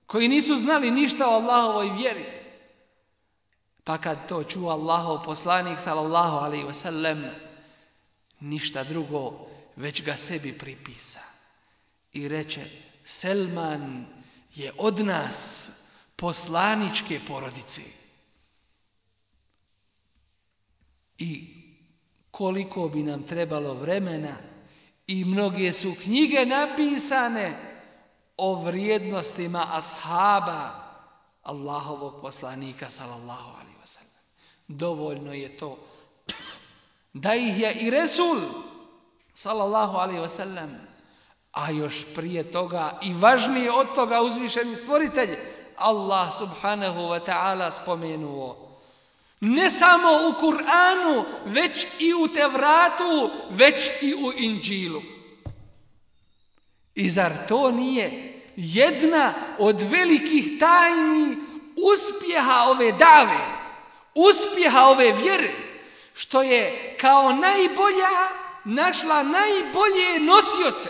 [SPEAKER 3] koji nisu znali ništa o Allahovoj vjeri. Pa kad to čuo Allahov poslanik sallallahu alejhi ve sellem, ništa drugo već ga sebi pripisa i reče: Selman je od nas poslaničke porodice. I koliko bi nam trebalo vremena i mnoge su knjige napisane o vrijednostima ashaba Allahovog poslanika sallallahu alejhi ve sellem. Dovoljno je to da ih je i Resul sallallahu alejhi ve sellem, a još prije toga i važnije od toga uzvišeni stvoritelj Allah subhanahu wa ta'ala spomenuo. Ne samo u Kur'anu, već i u Tevratu, već i u Inđilu. I zar to nije jedna od velikih tajni uspjeha ove dave, uspjeha ove vjere, što je kao najbolja našla najbolje nosioce?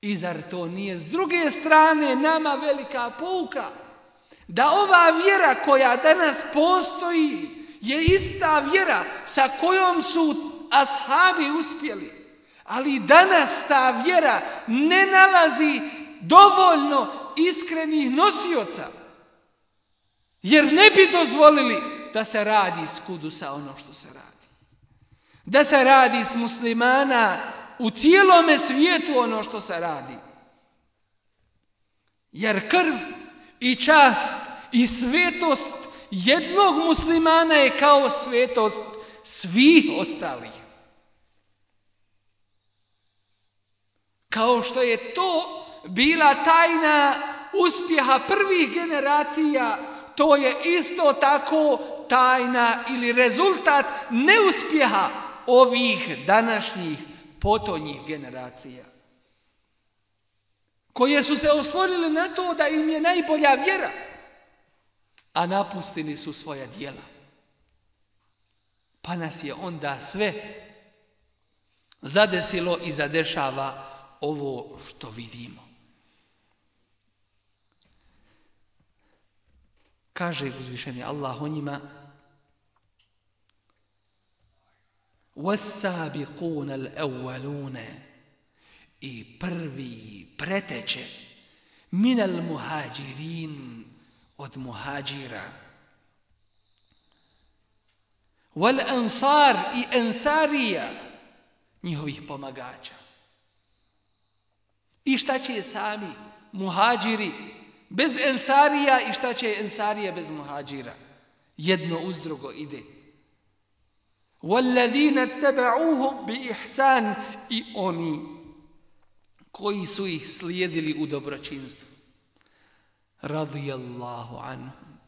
[SPEAKER 3] I zar to nije s druge strane nama velika pouka da ova vjera koja danas postoji je ista vjera sa kojom su ashabi uspjeli, ali danas ta vjera ne nalazi dovoljno iskrenih nosioca, jer ne bi dozvolili da se radi s Kudusa ono što se radi. Da se radi s muslimana u cijelome svijetu ono što se radi. Jer krv i čast i svetost jednog muslimana je kao svetost svih ostalih. Kao što je to bila tajna uspjeha prvih generacija, to je isto tako tajna ili rezultat neuspjeha ovih današnjih potonjih generacija, koje su se oslonili na to da im je najbolja vjera, a napustili su svoja djela. Pa nas je onda sve zadesilo i zadešava ovo što vidimo. Kaže uzvišeni Allah o njima: وَالسَّابِقُونَ الْأَوَّلُونَ, i prvi preteče, minal muhađirin, od muhađira, wal ansar, i ensarija, njihovih pomagača. I šta će sami muhađiri bez ensarija i šta će ensarija bez muhađira? Jedno uz drugo ide. وَالَّذِينَ اتَّبَعُوهُمْ بِإِحْسَانٍ, i oni koji su ih slijedili u dobročinstvu. Radijallahu anhum,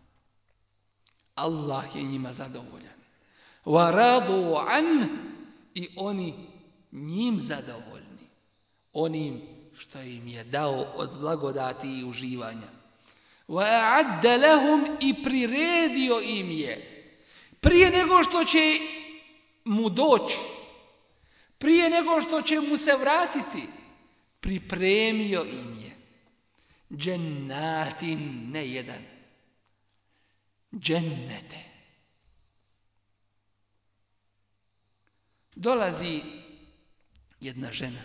[SPEAKER 3] Allah je njima zadovoljan. وَرَضُوا عَنْهُ, i oni njim zadovoljni, onim što im je dao od blagodati i uživanja. وَأَعَدَّ لَهُمْ, i priredio im je, prije nego što će mu doći, prije nego što će mu se vratiti, pripremio im je džennatin, ne jedan, džennete. Dolazi jedna žena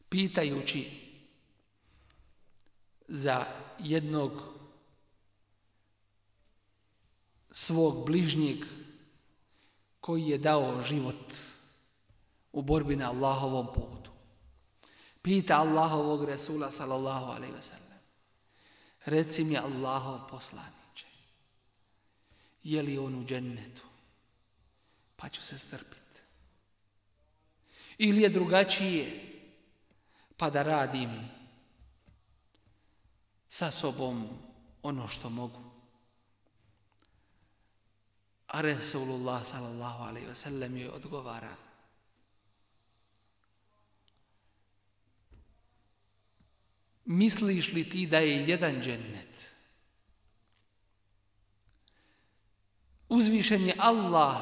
[SPEAKER 3] pitajući za jednog svog bližnjeg koji je dao život u borbi na Allahovom putu. Pita Allahovog Resula sallallahu alejhi ve sellem: reci mi, Allahov poslaniče, je li on u džennetu? Pa ću se strpiti. Ili je drugačije, pa da radim sa sobom ono što mogu. A Resulullah sallallahu alejhi ve sellem joj odgovara: misliš li ti da je jedan džennet? Uzvišen je Allah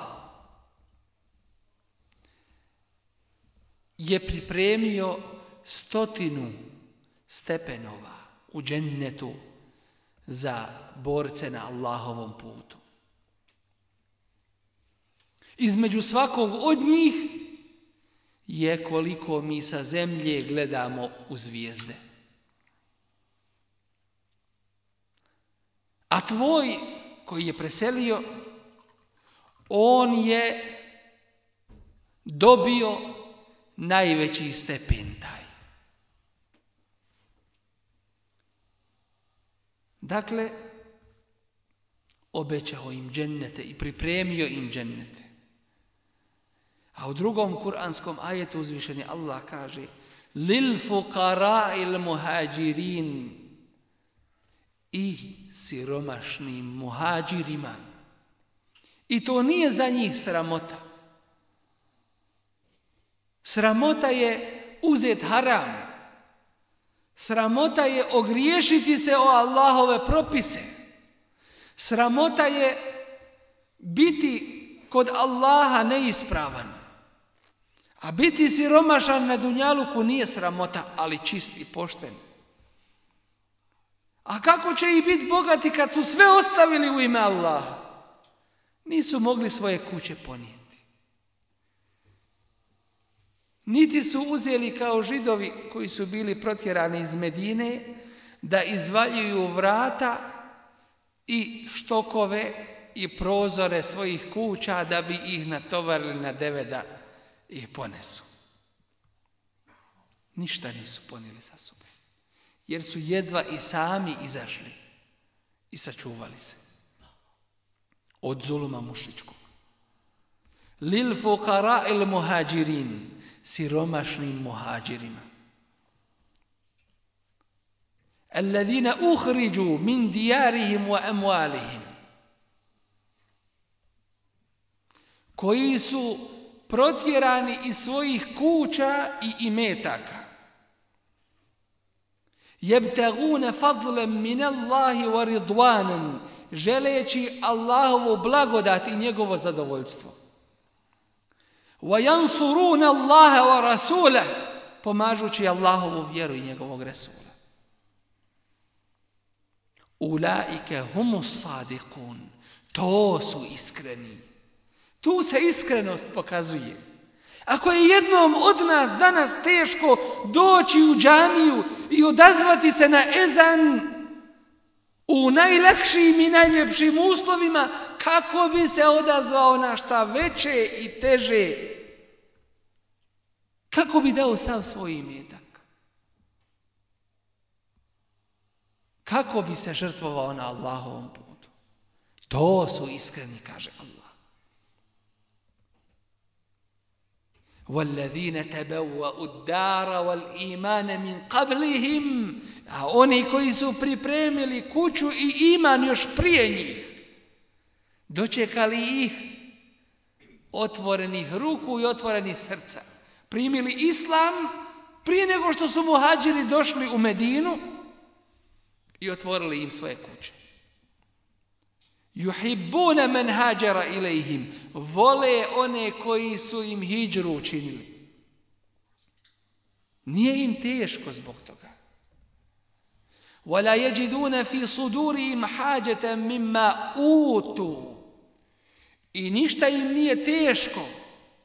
[SPEAKER 3] je pripremio 100 stepenova u džennetu za borce na Allahovom putu. Između svakog od njih je koliko mi sa zemlje gledamo u zvijezde. A tvoj koji je preselio, on je dobio najveći stepen taj. Dakle, obećao im džennete i pripremio im džennete. A u drugom kuranskom ajetu uzvišeni Allah kaže: lil fuqara'il muhađirin, i siromašnim muhađirima. I to nije za njih sramota. Sramota je uzet haram. Sramota je ogriješiti se o Allahove propise. Sramota je biti kod Allaha neispravan. A biti siromašan na dunjaluku nije sramota, ali čist i pošten. A kako će i biti bogati kad su sve ostavili u ime Allaha? Nisu mogli svoje kuće ponijeti. Niti su uzeli kao Židovi koji su bili protjerani iz Medine da izvaljuju vrata i štokove i prozore svojih kuća da bi ih natovarili na deve da ih ponesu. Ništa nisu ponijeli sa sobom, jer su jedva i sami izašli i sačuvali se od zuluma mušičkog. Lil fuqara il muhađirin, siromašnim muhađirima. Alladhina ukhriđu min dijarihim wa amwalihim, koji su protjerani iz svojih kuća i imetaka. Jebtaguna fadlan min Allahi wa ridwanan, želeći Allahovu blagodat i njegovo zadovoljstvo. Wa yansuruna Allaha wa rasulahu, pomažući Allahovu vjeru i njegovog resula. Ulaike humus sadiqun, to su iskreni. Tu se iskrenost pokazuje. Ako je jednom od nas danas teško doći u džamiju i odazvati se na ezan u najlakšim i najljepšim uslovima, kako bi se odazvao na šta veće i teže? Kako bi dao sav svoj imetak? Kako bi se žrtvovao na Allahovom putu? To su iskreni, kaže Allah. وَالَّذِينَ تَبَوَّأُوا الدَّارَ وَالْإِيمَانَ مِنْ قَبْلِهِمْ, a oni koji su pripremili kuću i iman još prije njih, dočekali ih otvorenih ruku i otvorenih srca, primili islam prije nego što su muhađiri došli u Medinu i otvorili im svoje kuće. Yuhibbuna man hajara ilayhim, vole one koji su im hidžru učinili. Nije im teško zbog toga. Wala yajiduna fi sudurihim hajatan mimma utu, i ništa im nije teško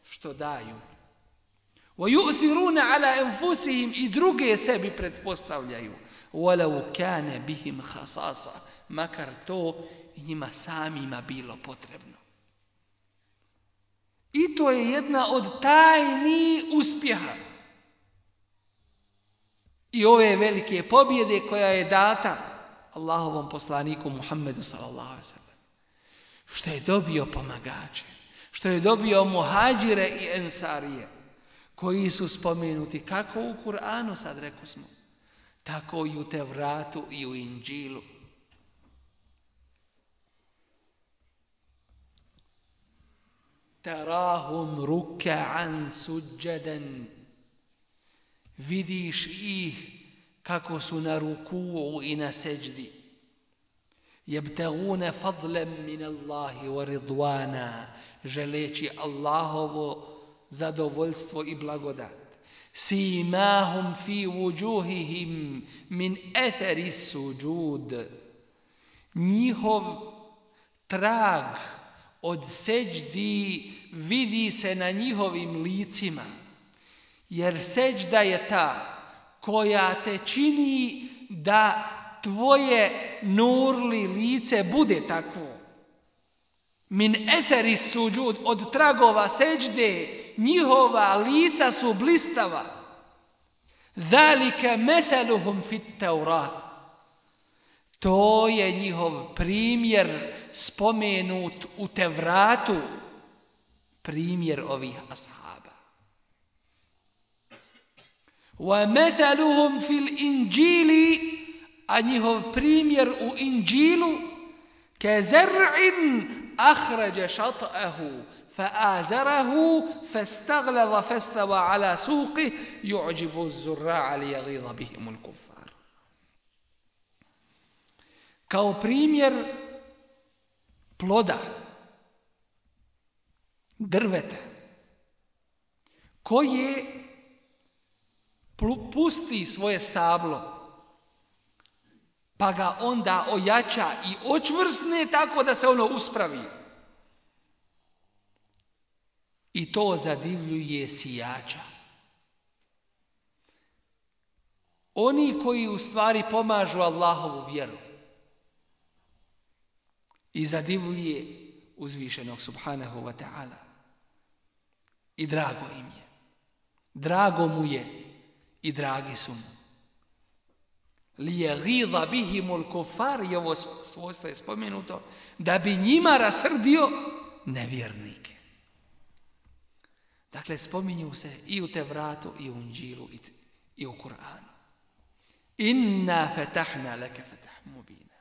[SPEAKER 3] što daju. Wa yu'thiruna ala anfusihim, i druge sebi pretpostavljaju. Walau kana bihim khasasa, makar to njima samima bilo potrebno. I to je jedna od tajni uspjeha i ove velike pobjede koja je data Allahovom poslaniku Muhammedu sallallahu alejhi ve sellem. Što je dobio pomagače, što je dobio muhađire i ensarije, koji su spomenuti kako u Kur'anu, sad rekosmo, tako i u Tevratu i u Inđilu. Tarahum ruk'an suđadan, vidiš ih kako su na ruku'u i na seđdi. Jebtaguna fadlan min Allahi wa ridwana, želeći Allahovo zadovoljstvo i blagodat. Simahum fi wujuhihim min athari suđud, njihov trag od seđdi vidi se na njihovim licima, jer seđda je ta koja te čini da tvoje nurli lice bude takvo. Min athari suđud, od tragova seđde njihova lica su blistava. Zalika mathaluhum fit Taurat, to je njihov primjer spomenut u Tevratu, primjer ovih ashaba. Wa mathaluhum fil Inđili, a njihov primjer u Inđilu, ka zar'in akhraja shat'ahu fa'azarahu fastaghlada fastawa ala suqih yu'jibu az-zurra'a liyaghidha bihim al-kuffar. Kao primjer ploda, drveta, koje pusti svoje stablo, pa ga onda ojača i očvrsne tako da se ono uspravi. I to zadivljuje sijača. Oni koji u stvari pomažu Allahovu vjeru, i zadivljuje uzvišenog subhanahu wa ta'ala. I drago im je. Drago mu je i dragi su mu. Lijagidha bihimul kufar, i ovo svojstvo je spomenuto, da bi njima rasrdio nevjernike. Dakle, spominju se i u Tevratu, i u Inđilu, i u Kur'anu. Inna fetahna leke fetah mubina.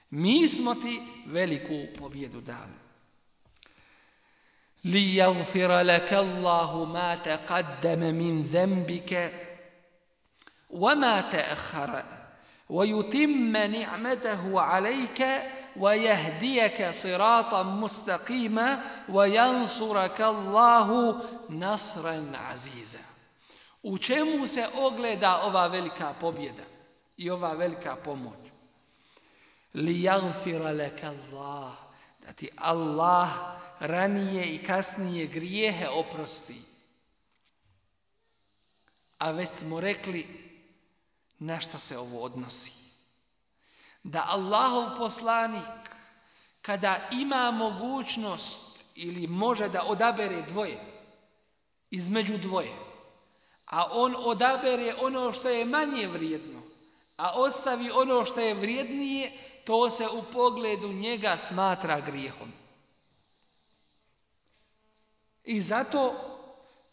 [SPEAKER 3] Mi smo ti veliku pobjedu dali. Lijagfira leke Allahu ma taqaddama min zembike wa ma ta'akhara wa yutimma ni'matahu alayka wa yahdiyaka siratan mustaqima wa yansuraka Allahu nasran aziza. U čemu se ogleda ova velika pobjeda i ova velika pomoć? Lijagfira leke Allah, da ti Allah ranije i kasnije grijehe oprosti. A već smo rekli na šta se ovo odnosi. Da Allahov poslanik, kada ima mogućnost ili može da odabere dvoje, između dvoje, a on odabere ono što je manje vrijedno, a ostavi ono što je vrijednije, to se u pogledu njega smatra grijehom. I zato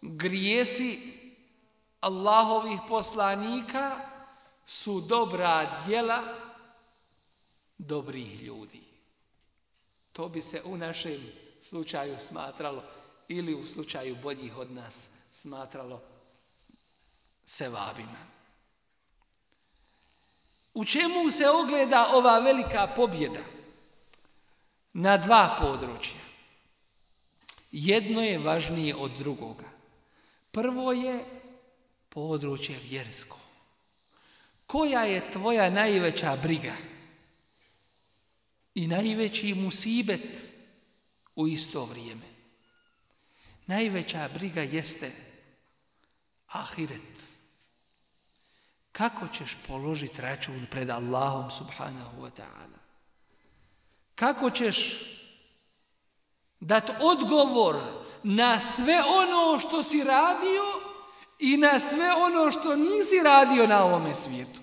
[SPEAKER 3] grijesi Allahovih poslanika su dobra djela dobrih ljudi. To bi se u našem slučaju smatralo, ili u slučaju boljih od nas smatralo, sevabima. U čemu se ogleda ova velika pobjeda? Na dva područja. Jedno je važnije od drugoga. Prvo je područje vjersko. Koja je tvoja najveća briga i najveći musibet u isto vrijeme? Najveća briga jeste ahiret. Kako ćeš položiti račun pred Allahom subhanahu wa ta'ala? Kako ćeš dati odgovor na sve ono što si radio i na sve ono što nisi radio na ovome svijetu?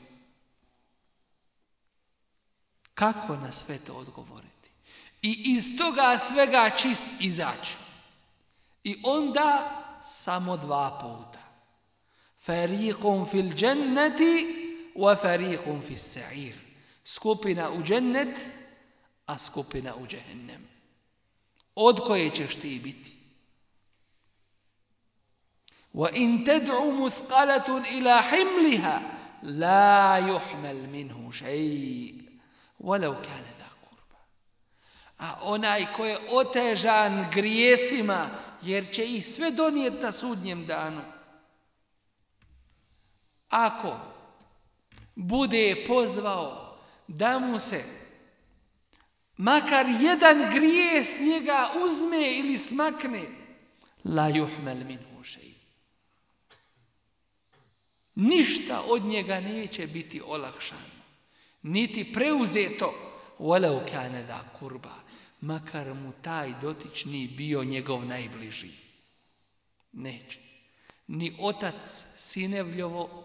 [SPEAKER 3] Kako na sve to odgovoriti? I iz toga svega čist izaći. I onda samo dva puta. Fariqun fil dženneti wa fariqun fil sa'ir. Skupina u džennet, a skupina u džehennem. Od koje ćeš ti biti? وَإِن تَدْعُ مُثْقَلَةٌ إِلَى حِمْلِهَا لَا يُحْمَلْ مِنْهُ شَيْءٍ وَلَوْ كَانَ ذَا قُرْبَ. A onaj ko je otežan grijesima, jer će ih sve donijeti na sudnjem danu, ako bude pozvao da mu se makar jedan grijeh s njega uzme ili smakne, la yuhmal minhu shay. Ništa od njega neće biti olakšano, niti preuzeto, walau kana da kurba, makar mu taj dotični bio njegov najbliži. Neće. Ni otac sinevljovo,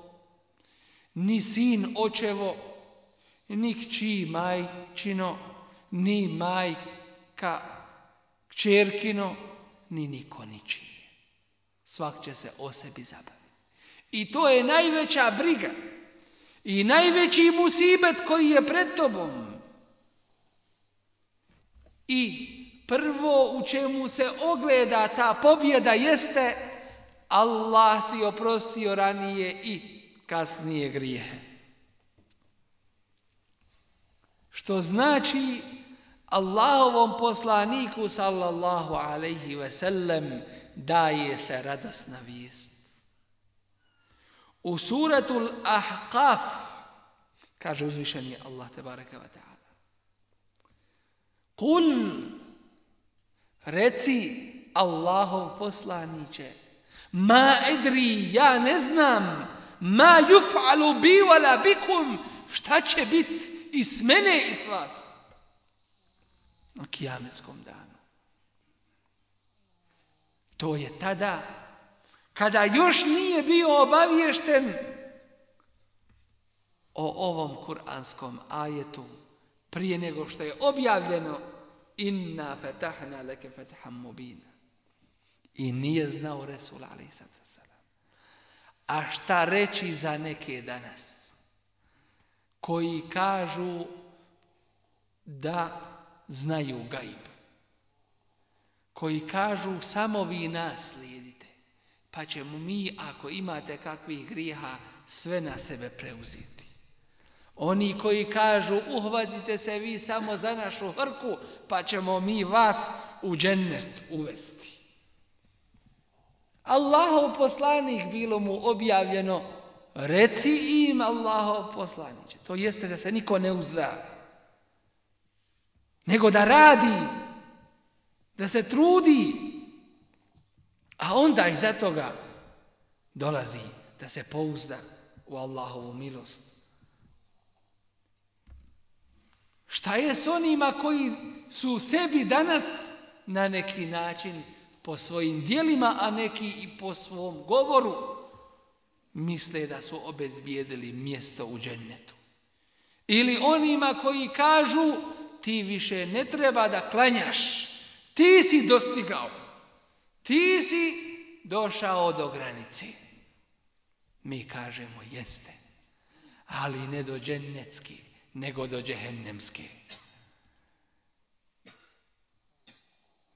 [SPEAKER 3] ni sin očevo, ni kći majčino, ni majka kćerkino, ni niko ničije. Svak će se o sebi zabaviti. I to je najveća briga i najveći musibet koji je pred tobom. I prvo u čemu se ogleda ta pobjeda jeste Allah ti oprostio ranije i kasnije grijehe. Što znači Allahovom poslaniku sallallahu alaihi ve sellem daje se radosna vijest. U suratul Ahqaf kaže uzvišeni Allah tebareke ve ta'ala: Kul, reci Allahov poslaniče, ma edri, ja ne znam, ma yuf'alu bi wala bikum, šta će biti i s mene i s vas. na kijametskom danu. To je tada kada još nije bio obaviješten o ovom kuranskom ajetu prije nego što je objavljeno inna fatahna leke fathan mubina. I nije znao Resul alejhi salatu vesselam. A šta reći za neke danas koji kažu da znaju gajb, koji kažu samo vi nas slijedite, pa ćemo mi, ako imate kakvih grijeha, sve na sebe preuzeti. Oni koji kažu uhvatite se vi samo za našu hrku, pa ćemo mi vas u džennet uvesti. Allahov poslanik bilo mu objavljeno, reci im Allahov poslaniče. To jeste da se niko ne uzda, nego da radi, da se trudi, a onda iza toga dolazi da se pouzda u Allahovu milost. Šta je s onima koji su sebi danas na neki način po svojim djelima, a neki i po svom govoru misle da su obezbijedili mjesto u džennetu? Ili onima koji kažu ti više ne treba da klanjaš, ti si dostigao, ti si došao do granice. Mi kažemo jeste, ali ne do džennetske, nego do džehennemske.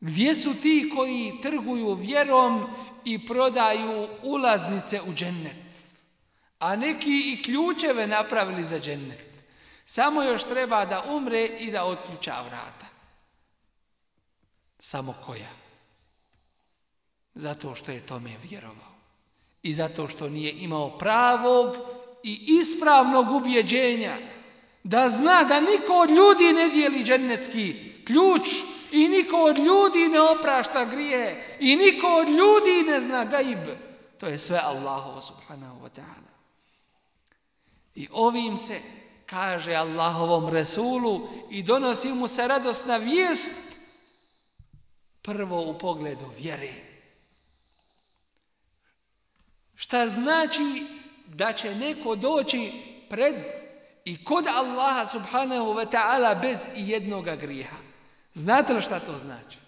[SPEAKER 3] Gdje su ti koji trguju vjerom i prodaju ulaznice u džennet? A neki i ključeve napravili za džennet. Samo još treba da umre i da otključa vrata. Samo koja? Zato što je tome vjerovao. I zato što nije imao pravog i ispravnog ubjeđenja da zna da niko od ljudi ne dijeli džennetski ključ i niko od ljudi ne oprašta grije i niko od ljudi ne zna gajb. To je sve Allahovo subhanahu wa ta'ala. I ovim se kaže Allahovom Resulu i donosi mu se radosna vijest prvo u pogledu vjere. Šta znači da će neko doći pred i kod Allaha subhanahu wa ta'ala bez jednoga grijeha? Znate li šta to znači?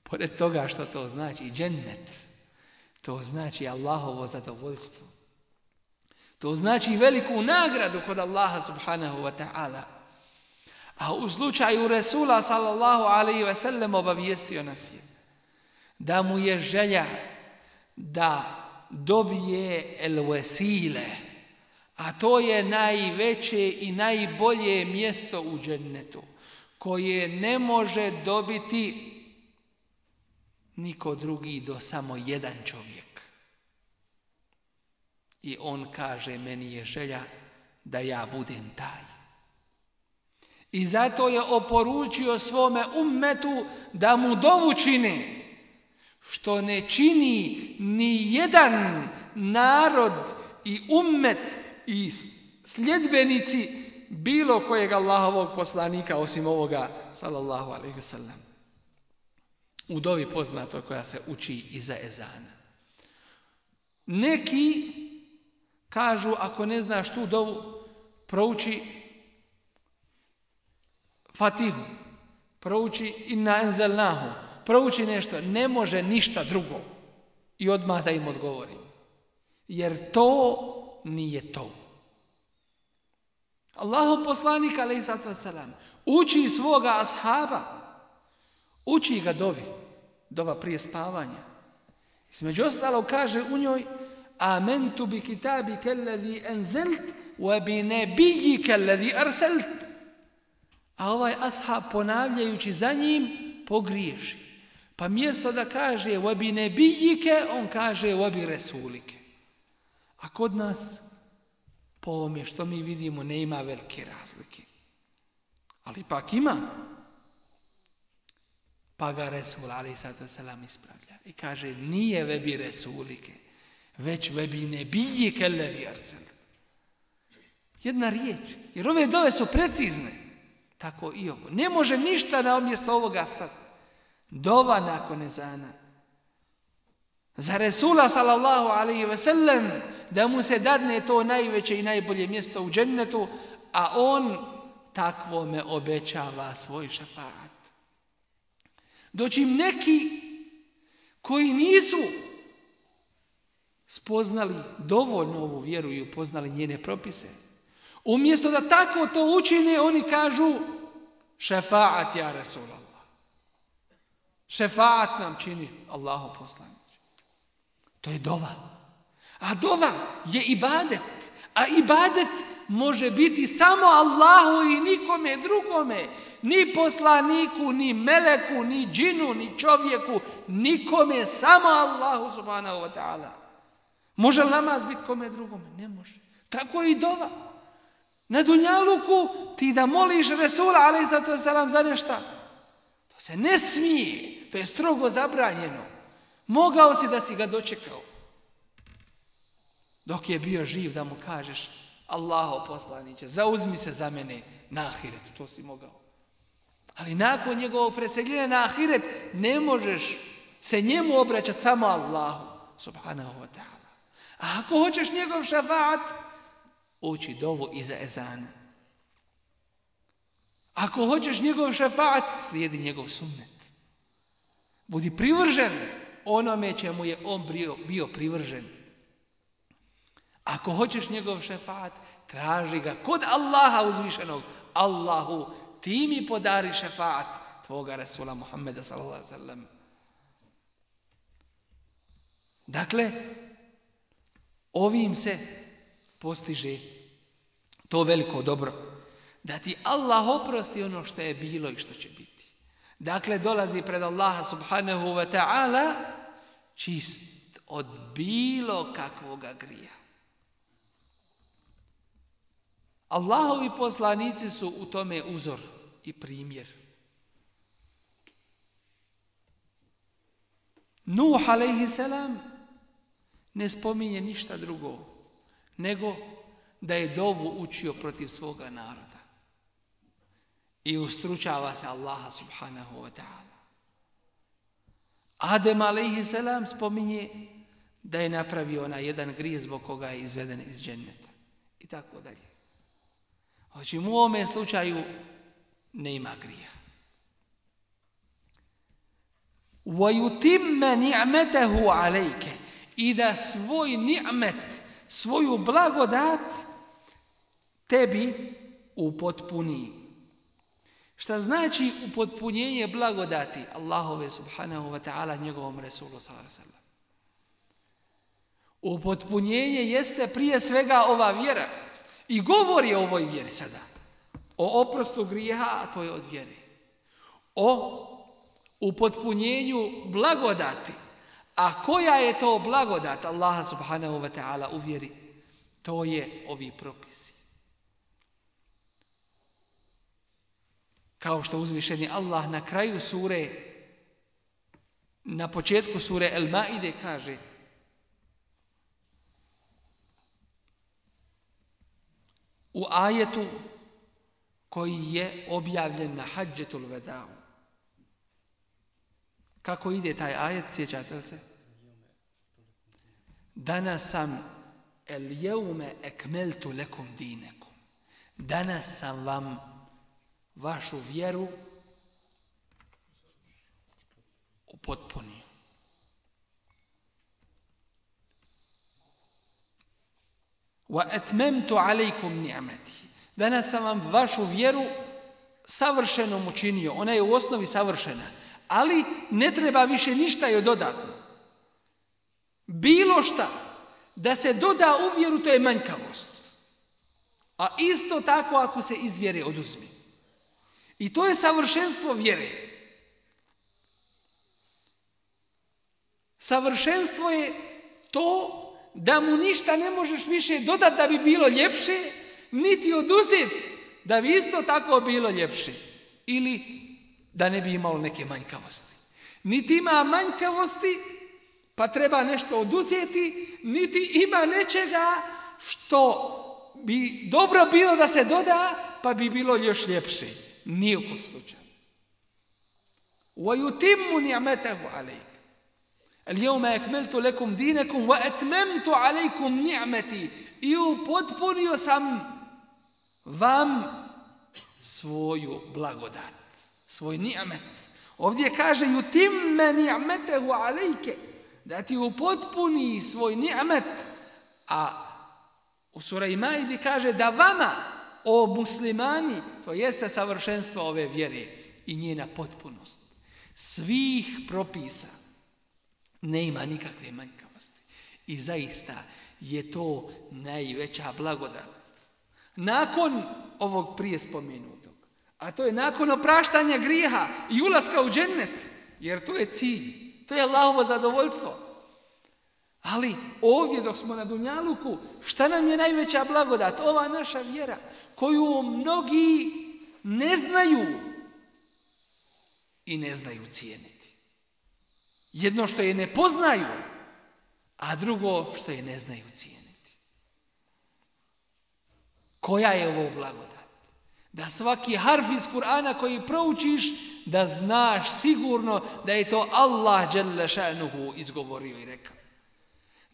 [SPEAKER 3] Pored toga što to znači džennet, to znači Allahovo zadovoljstvo. To znači veliku nagradu kod Allaha subhanahu wa ta'ala. A u slučaju Resula sallallahu alaihi ve sellem obavijestio nas je da mu je želja da dobije el vesile, a to je najveće i najbolje mjesto u džennetu, koje ne može dobiti niko drugi do samo jedan čovjek. I on kaže, meni je želja da ja budem taj. I zato je oporučio svome ummetu da mu dovu čine, što ne čini ni jedan narod i ummet i sljedbenici bilo kojeg Allahovog poslanika osim ovoga sallallahu alejhi ve sellem. U dovi poznato koja se uči iza ezana. Neki kažu, ako ne znaš tu dovu, prouči Fatihu, prouči Inna enzelnahu, prouči nešto, ne može ništa drugo. I odmah da im odgovorim. Jer to nije to. Allahov poslanik alejhi salatu vesselam uči svoga ashaba, uči ga dovi, dova prije spavanja. Između ostalog kaže u njoj Amentu bi kitabika allazi anzalt wa bi nabiyyika allazi arsalt. A ovaj ashab ponavljajući za njim pogriješi. Pa mjesto da kaže wa bi nabiyyika, on kaže wa bi rasulike. A kod nas po ovome što mi vidimo ne ima velike razlike. Ali pak ima. Pa ga Resul alejhi salatu vesselam ispravlja i kaže nije vebi Resulike, već vebi nebijike allazi arsal. Jedna riječ, jer ove dove su precizne. tako i ovo. Ne može ništa na mjesto ovoga stati. Dova nakon ezana. Za Resula sallallahu alaihi ve sellem da mu se dadne to najveće i najbolje mjesto u džennetu, a on takvome obećava svoj šefaat. Dočim neki koji nisu spoznali dovoljno ovu vjeru i upoznali njene propise, umjesto da tako to učine, oni kažu šefaat ja Resulallah. Šefaat nam čini Allahu poslanik. To je dova. A dova je ibadet. A ibadet može biti samo Allahu i nikome drugome. Ni poslaniku, ni meleku, ni džinu, ni čovjeku. Nikome, samo Allahu subhanahu wa ta'ala. Može li namaz biti kome drugome? Ne može. Tako i dova. Na dunjaluku ti da moliš Resula alejhi salatu vesselam za nešto. To se ne smije. To je strogo zabranjeno. Mogao si da si ga dočekao. Dok je bio živ da mu kažeš Allaho poslaniće, zauzmi se za mene na ahiretu. To si mogao. Ali nakon njegovog preseljenja na ahiret ne možeš se njemu obraćati, samo Allahu subhanahu wa ta'ala. A ako hoćeš njegov šefaat, uči dovu iza ezana. Ako hoćeš njegov šefaat, slijedi njegov sunnet. Budi privržen onome čemu je on bio privržen. Ako hoćeš njegov šefaat, traži ga kod Allaha uzvišenog. Allahu, ti mi podari šefaat tvoga Resula Muhammeda sallallahu alejhi ve sellem. Dakle, ovim se postiže to veliko dobro. Da ti Allah oprosti ono što je bilo i što će biti. Dakle, dolazi pred Allaha subhanahu wa ta'ala čist od bilo kakvoga grija. Allahovi poslanici su u tome uzor i primjer. Nuh alejhi selam ne spominje ništa drugo nego da je dovu učio protiv svoga naroda. I ustručava se Allaha subhanahu wa ta'ala. Adem alejhi selam spominje da je napravio onaj jedan grijeh zbog koga je izveden iz dženneta. I tako dalje. Znači, u ovome slučaju ne ima grija. وَيُتِمَّ نِعْمَتَهُ عَلَيْكَ. I da svoj ni'met, svoju blagodat tebi upotpuni. Šta znači upotpunjenje blagodati Allahove subhanahu wa ta'ala njegovom Resulu sallallahu alejhi ve sellem? Upotpunjenje jeste prije svega ova vjera. I govori o ovoj vjeri sada. O oprostu grijeha, a to je od vjere. O upotpunjenju blagodati. A koja je to blagodat Allaha subhanahu wa ta'ala u vjeri? To je ovi propisi. Kao što uzvišeni Allah na kraju sure, na početku sure El-Maide kaže: u ajetu koji je objavljen na Hadžetul Vedau. Kako ide taj ajet, sjećate li se? Danas sam el jeume ekmeltu lekum dinekum. Danas sam vam vašu vjeru upotpunio. Wa atmamtu alaykum ni'mati. Danas sam vam vašu vjeru savršenom učinio. Ona je u osnovi savršena, ali ne treba više ništa joj dodatno. Bilo šta da se doda u vjeru, to je manjkavost. A isto tako ako se iz vjere oduzme. I to je savršenstvo vjere. Savršenstvo je to da mu ništa ne možeš više dodati da bi bilo ljepše, niti oduzeti da bi isto tako bilo ljepše. Ili da ne bi imalo neke manjkavosti. Niti ima manjkavosti, pa treba nešto oduzeti, niti ima nečega što bi dobro bilo da se doda, pa bi bilo još ljepše. Nijekom slučaju. وَيُتِمُّ نِعْمَتَهُ عَلَيْكَ الْيَوْمَ أَكْمَلْتُ لَكُمْ دِينَكُمْ وَأَتْمَمْتُ عَلَيْكُمْ نِعْمَتِي I upotpunio sam vam svoju blagodat, svoj ni'met. Ovdje kaže yutimme ni'metehu alejke, da ti upotpuni svoj ni'met, a u sura Maide kaže da vama, o muslimani, to jeste savršenstvo ove vjere i njena potpunost. Svih propisa ne ima nikakve manjkavosti. I zaista je to najveća blagodat. Nakon ovog prije spomenutog, a to je nakon opraštanja grijeha i ulaska u džennet, jer to je cilj, to je Allahovo zadovoljstvo. Ali ovdje dok smo na dunjaluku, šta nam je najveća blagodat? Ova naša vjera koju mnogi ne znaju i ne znaju cijeniti. Jedno što je ne poznaju, a drugo što je ne znaju cijeniti. Koja je ovo blagodat? Da svaki harf iz Kur'ana koji proučiš, da znaš sigurno da je to Allah dželle šanuhu izgovorio i rekao.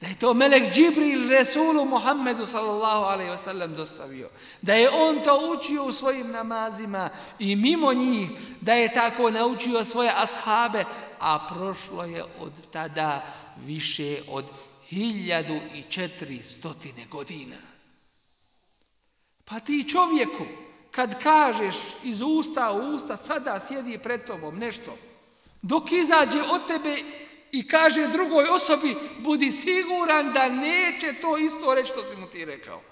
[SPEAKER 3] Da je to melek Džibril Resulu Muhammedu sallallahu alejhi ve sellem dostavio. Da je on to učio u svojim namazima i mimo njih, da je tako naučio svoje ashabe, a prošlo je od tada više od 1400 godina. Pa ti čovjeku, kad kažeš iz usta u usta, sada sjedi pred tobom nešto, dok izađe od tebe i kaže drugoj osobi, budi siguran da neće to isto reći što si mu ti rekao.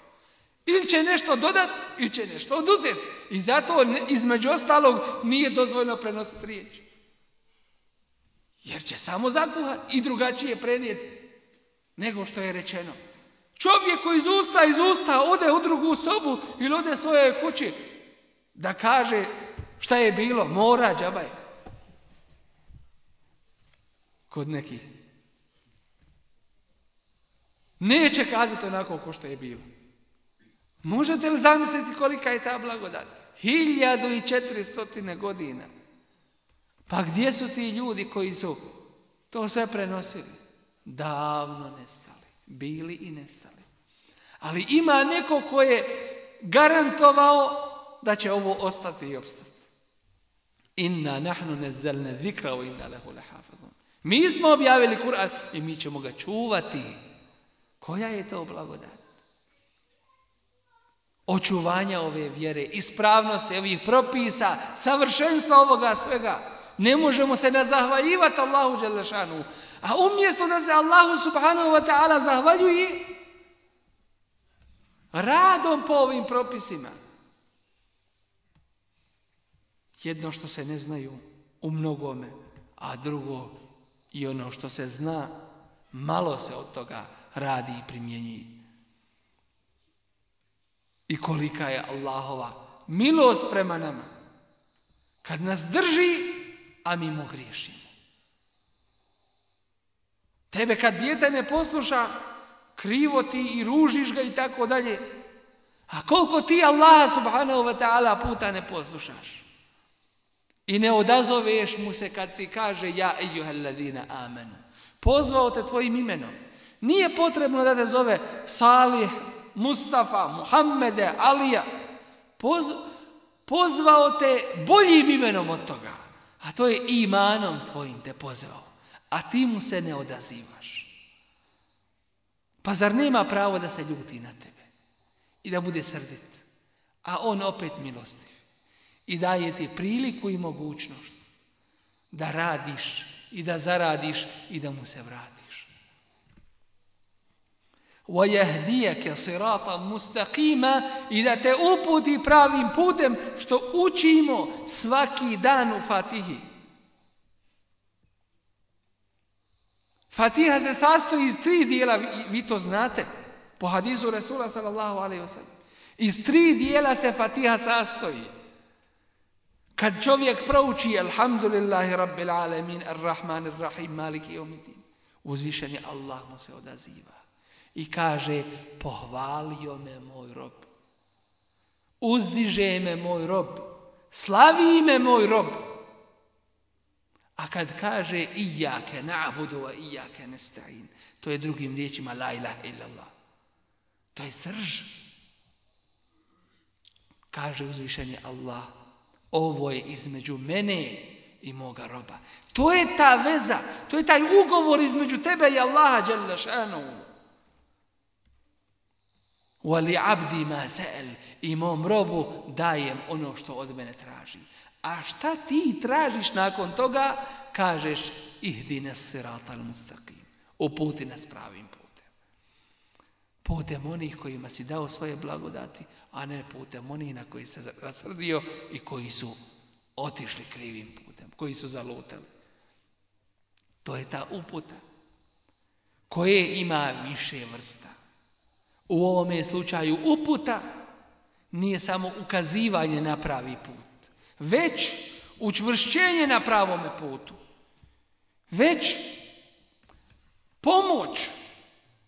[SPEAKER 3] Ili će nešto dodati, ili će nešto oduzeti. I zato između ostalog nije dozvoljno prenositi riječ. Jer će samo zakuhati i drugačije prenijeti nego što je rečeno. Čovjek koji iz usta ode u drugu sobu ili ode svojoj kući da kaže šta je bilo, mora džabaj. Kod nekih. Neće kazati onako ko što je bilo. Možete li zamisliti kolika je ta blagodat? 1400 godina. Pa gdje su ti ljudi koji su to sve prenosili? Davno nestali. Bili i nestali. Ali ima neko ko je garantovao da će ovo ostati i opstati. Inna nahnu nazzalna zikra wa inna lahu lahafizun. Mi smo objavili Kur'an i mi ćemo ga čuvati. Koja je to blagodat? Očuvanja ove vjere, ispravnosti ovih propisa, savršenstva ovoga svega. Ne možemo se ne zahvaljivati Allahu dželle šanu. A umjesto da se Allahu subhanahu wa ta'ala zahvaljuje radom po ovim propisima. Jedno što se ne znaju u mnogome, a drugo i ono što se zna, malo se od toga radi i primjenjuje. I kolika je Allahova milost prema nama. Kad nas drži, a mi mu griješimo. Tebe kad dijete ne posluša, krivo ti i ružiš ga i tako dalje. A koliko ti Allah subhanahu wa ta'ala puta ne poslušaš? I ne odazoveš mu se kad ti kaže ja ejuhellazina amenu. Pozvao te tvojim imenom. Nije potrebno da te zove Salih, Mustafa, Muhammede, Alija. Pozvao te boljim imenom od toga. A to je imanom tvojim te pozvao. A ti mu se ne odazivaš. Pa zar nema pravo da se ljuti na tebe? I da bude srdit? A on opet milostiv. I daje ti priliku i mogućnost da radiš i da zaradiš i da mu se vratiš. وَيَهْدِيَكَ صِرَاطًا مُسْتَقِيمًا i da te uputi pravim putem što učimo svaki dan u Fatihi. Fatiha se sastoji iz 3 dijela, vi to znate, po hadisu Resula sallallahu alejhi ve sellem. Iz 3 dijela se Fatiha sastoji. Kad čovjek prouči Alhamdulillahi Rabbil Alamin, Ar-Rahmanir Rahim, Maliki Yawmiddin, uzvišen je Allah mu se odaziva i kaže pohvalio me moj rob, uzdiže me moj rob, slavi me moj rob. A kad kaže ijake na'budu wa ijake nesta'in, to je drugim riječima la ilaha illallah. To je srž. Kaže uzvišeni Allah, ovo je između mene i moga roba. To je ta veza, to je taj ugovor između tebe i Allaha dželle šanuhu. Wali abdi ma sa'al, i mom robu dajem ono što od mene traži. A šta ti tražiš nakon toga? Kažeš ihdina siratal mustaqim, uputi nas pravim putem. Putem onih kojima si dao svoje blagodati, a ne putem onih na koji se rasrdio i koji su otišli krivim putem, koji su zalutali. To je ta uputa koje ima više vrsta. U ovome slučaju uputa nije samo ukazivanje na pravi put, već učvršćenje na pravome putu, već pomoć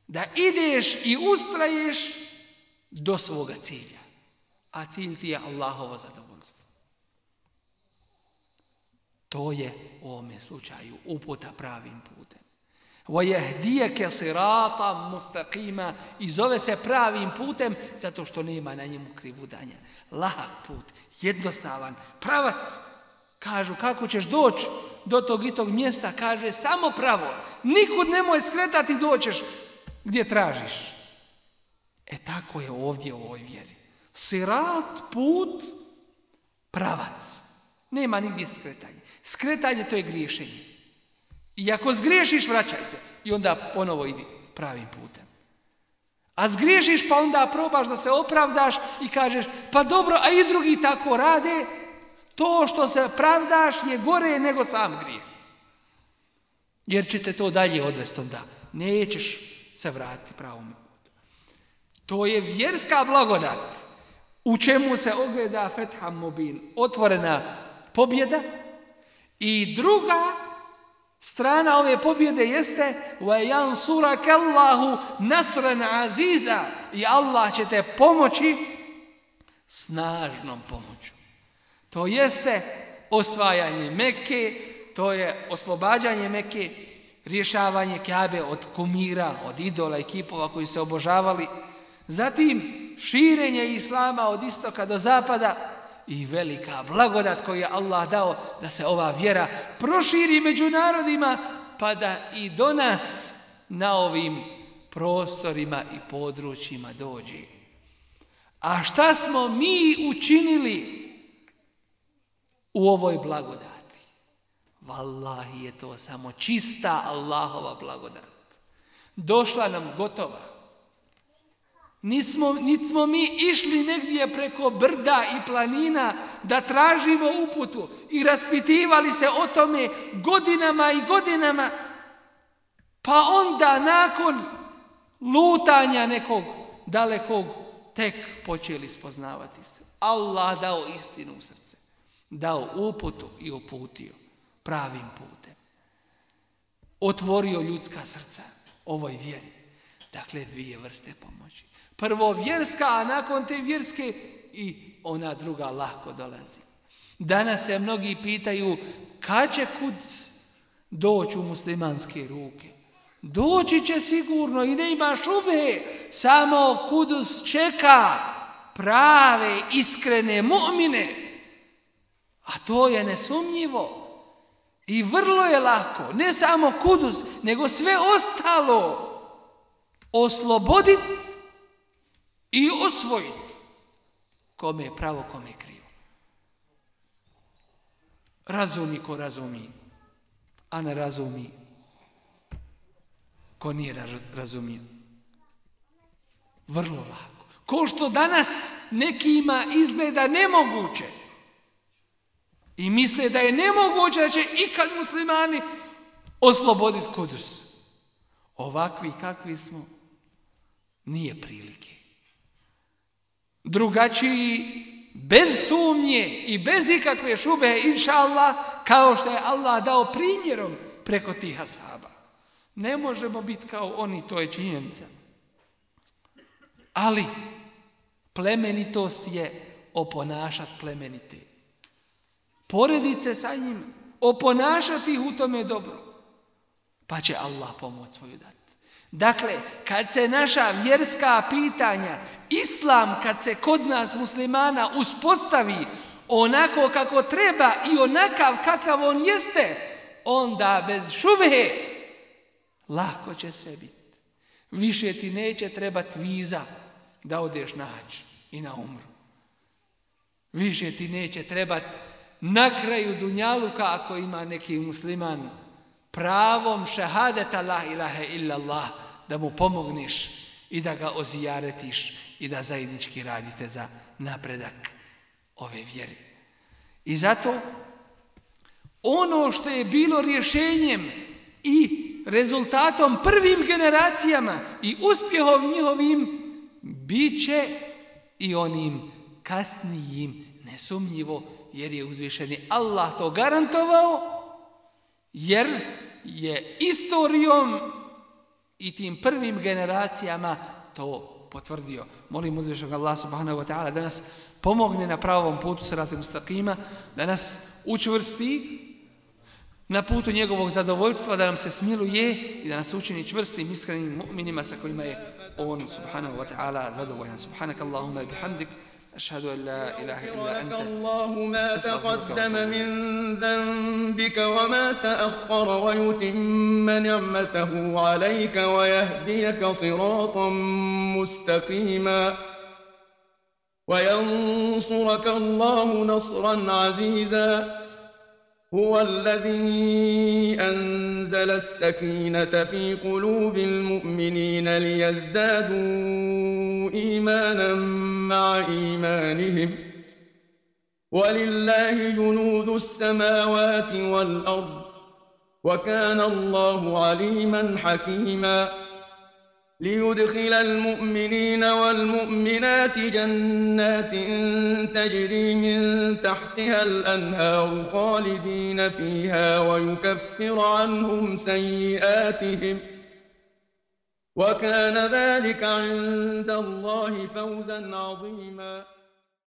[SPEAKER 3] da ideš i ustraješ do svoga cilja. A cilj ti je Allahovo zadovoljstvo. To je u ovome slučaju uputa pravim putem. وَيَهْدِيَكَ صِرَاطًا مُسْتَقِيمًا, i zove se pravim putem zato što nema na njemu krivudanja. Lahak put, jednostavan, pravac. Kažu kako ćeš doći do tog i tog mjesta, kaže samo pravo. Nikud nemoj skretati, doćeš gdje tražiš. Tako je ovdje u ovoj vjeri. Sirat, put, pravac. Nema nigdje skretanje. Skretanje to je griješenje. I ako zgriješiš, vraćaj se. I onda ponovo idi pravim putem. A zgriješiš pa onda probaš da se opravdaš i kažeš pa dobro, a i drugi tako rade. To što se pravdaš je gore nego sam grijeh. Jer će te to dalje odvesti onda. Nećeš se vratiti pravom putu. To je vjerska blagodat. U čemu se ogleda Fetham Mubin, otvorena pobjeda. I druga strana ove pobjede jeste وَيَنْصُرَكَ اللَّهُ نَصْرًا عَزِيزًا, i Allah će te pomoći snažnom pomoću. To jeste osvajanje Mekke, to je oslobađanje Mekke, rješavanje Kabe od kumira, od idola i kipova koji se obožavali, zatim širenje islama od istoka do zapada i velika blagodat koju je Allah dao da se ova vjera proširi među narodima pa da i do nas na ovim prostorima i područjima dođe. A šta smo mi učinili u ovoj blagodati? Wallahi je to samo čista Allahova blagodat. Došla nam gotova. Niti smo mi išli negdje preko brda i planina da tražimo uputu i raspitivali se o tome godinama i godinama, pa onda nakon lutanja nekog dalekog tek počeli spoznavati istinu. Allah dao istinu u srce, dao uputu i uputio pravim putem. Otvorio ljudska srca ovoj vjeri. Dakle, dvije vrste pomoći. Prvo vjerska, a nakon te vjerske i ona druga lako dolazi. Danas se mnogi pitaju kad će Kuds doći u muslimanske ruke. Doći će sigurno i ne ima šube, samo Kudus čeka prave, iskrene mu'mine. A to je nesumnjivo. I vrlo je lako, ne samo Kudus, nego sve ostalo osloboditi i osvojiti. Kome je pravo, kome je krivo. Razumi ko razumi, a ne razumi ko nije razumio. Vrlo lako. Ko što danas nekima izgleda nemoguće i misle da je nemoguće da će ikad muslimani osloboditi Kudus. Ovakvi kakvi smo, nije prilike. Drugačiji, bez sumnje i bez ikakve šube, inša Allah, kao što je Allah dao primjerom preko tih ashaba. Ne možemo biti kao oni, to je činjenica. Ali plemenitost je oponašat plemenite. porediti se sa njim, oponašati ih u tome dobro, pa će Allah pomoć svoju dati. Dakle, kad se naša vjerska pitanja, islam kad se kod nas muslimana uspostavi onako kako treba i onakav kakav on jeste, onda bez šubhe lako će sve biti. Više ti neće trebati viza da odeš na hadž i na umru. Više ti neće trebati na kraju dunjaluka, ako ima neki musliman, pravom šahadeta la ilaha illallah, da mu pomogneš i da ga ozijaretiš i da zajednički radite za napredak ove vjere. I zato ono što je bilo rješenjem i rezultatom prvim generacijama i uspjehom njihovim, bit će i onim kasnijim, nesumnjivo, jer je uzvišeni Allah to garantovao, jer je istorijom i tim prvim generacijama to potvrdio. Molim uzvišenog Allah subhanahu wa ta'ala da nas pomogne na pravom putu siratal mustaqima, da nas učvrsti na putu njegovog zadovoljstva, da nam se smiluje i da nas učini čvrstim, iskrenim mu'minima sa kojima je on subhanahu wa ta'ala zadovoljan. Subhanak Allahumma bihamdik, أشهد أن لا إله إلا أنت.
[SPEAKER 2] الله ما تقدم من ذنبك وما تأخر ويتم نعمته عليك ويهديك صراطا مستقيما وينصرك الله نصرا عزيزا هو الذي أنزل السكينة في قلوب المؤمنين ليزدادوا إيمانا مع إيمانهم ولله جنود السماوات والأرض وكان الله عليما حكيما ليدخل المؤمنين والمؤمنات جنات تجري من تحتها الأنهار خالدين فيها ويكفر عنهم سيئاتهم وكان ذلك عند الله فوزا عظيما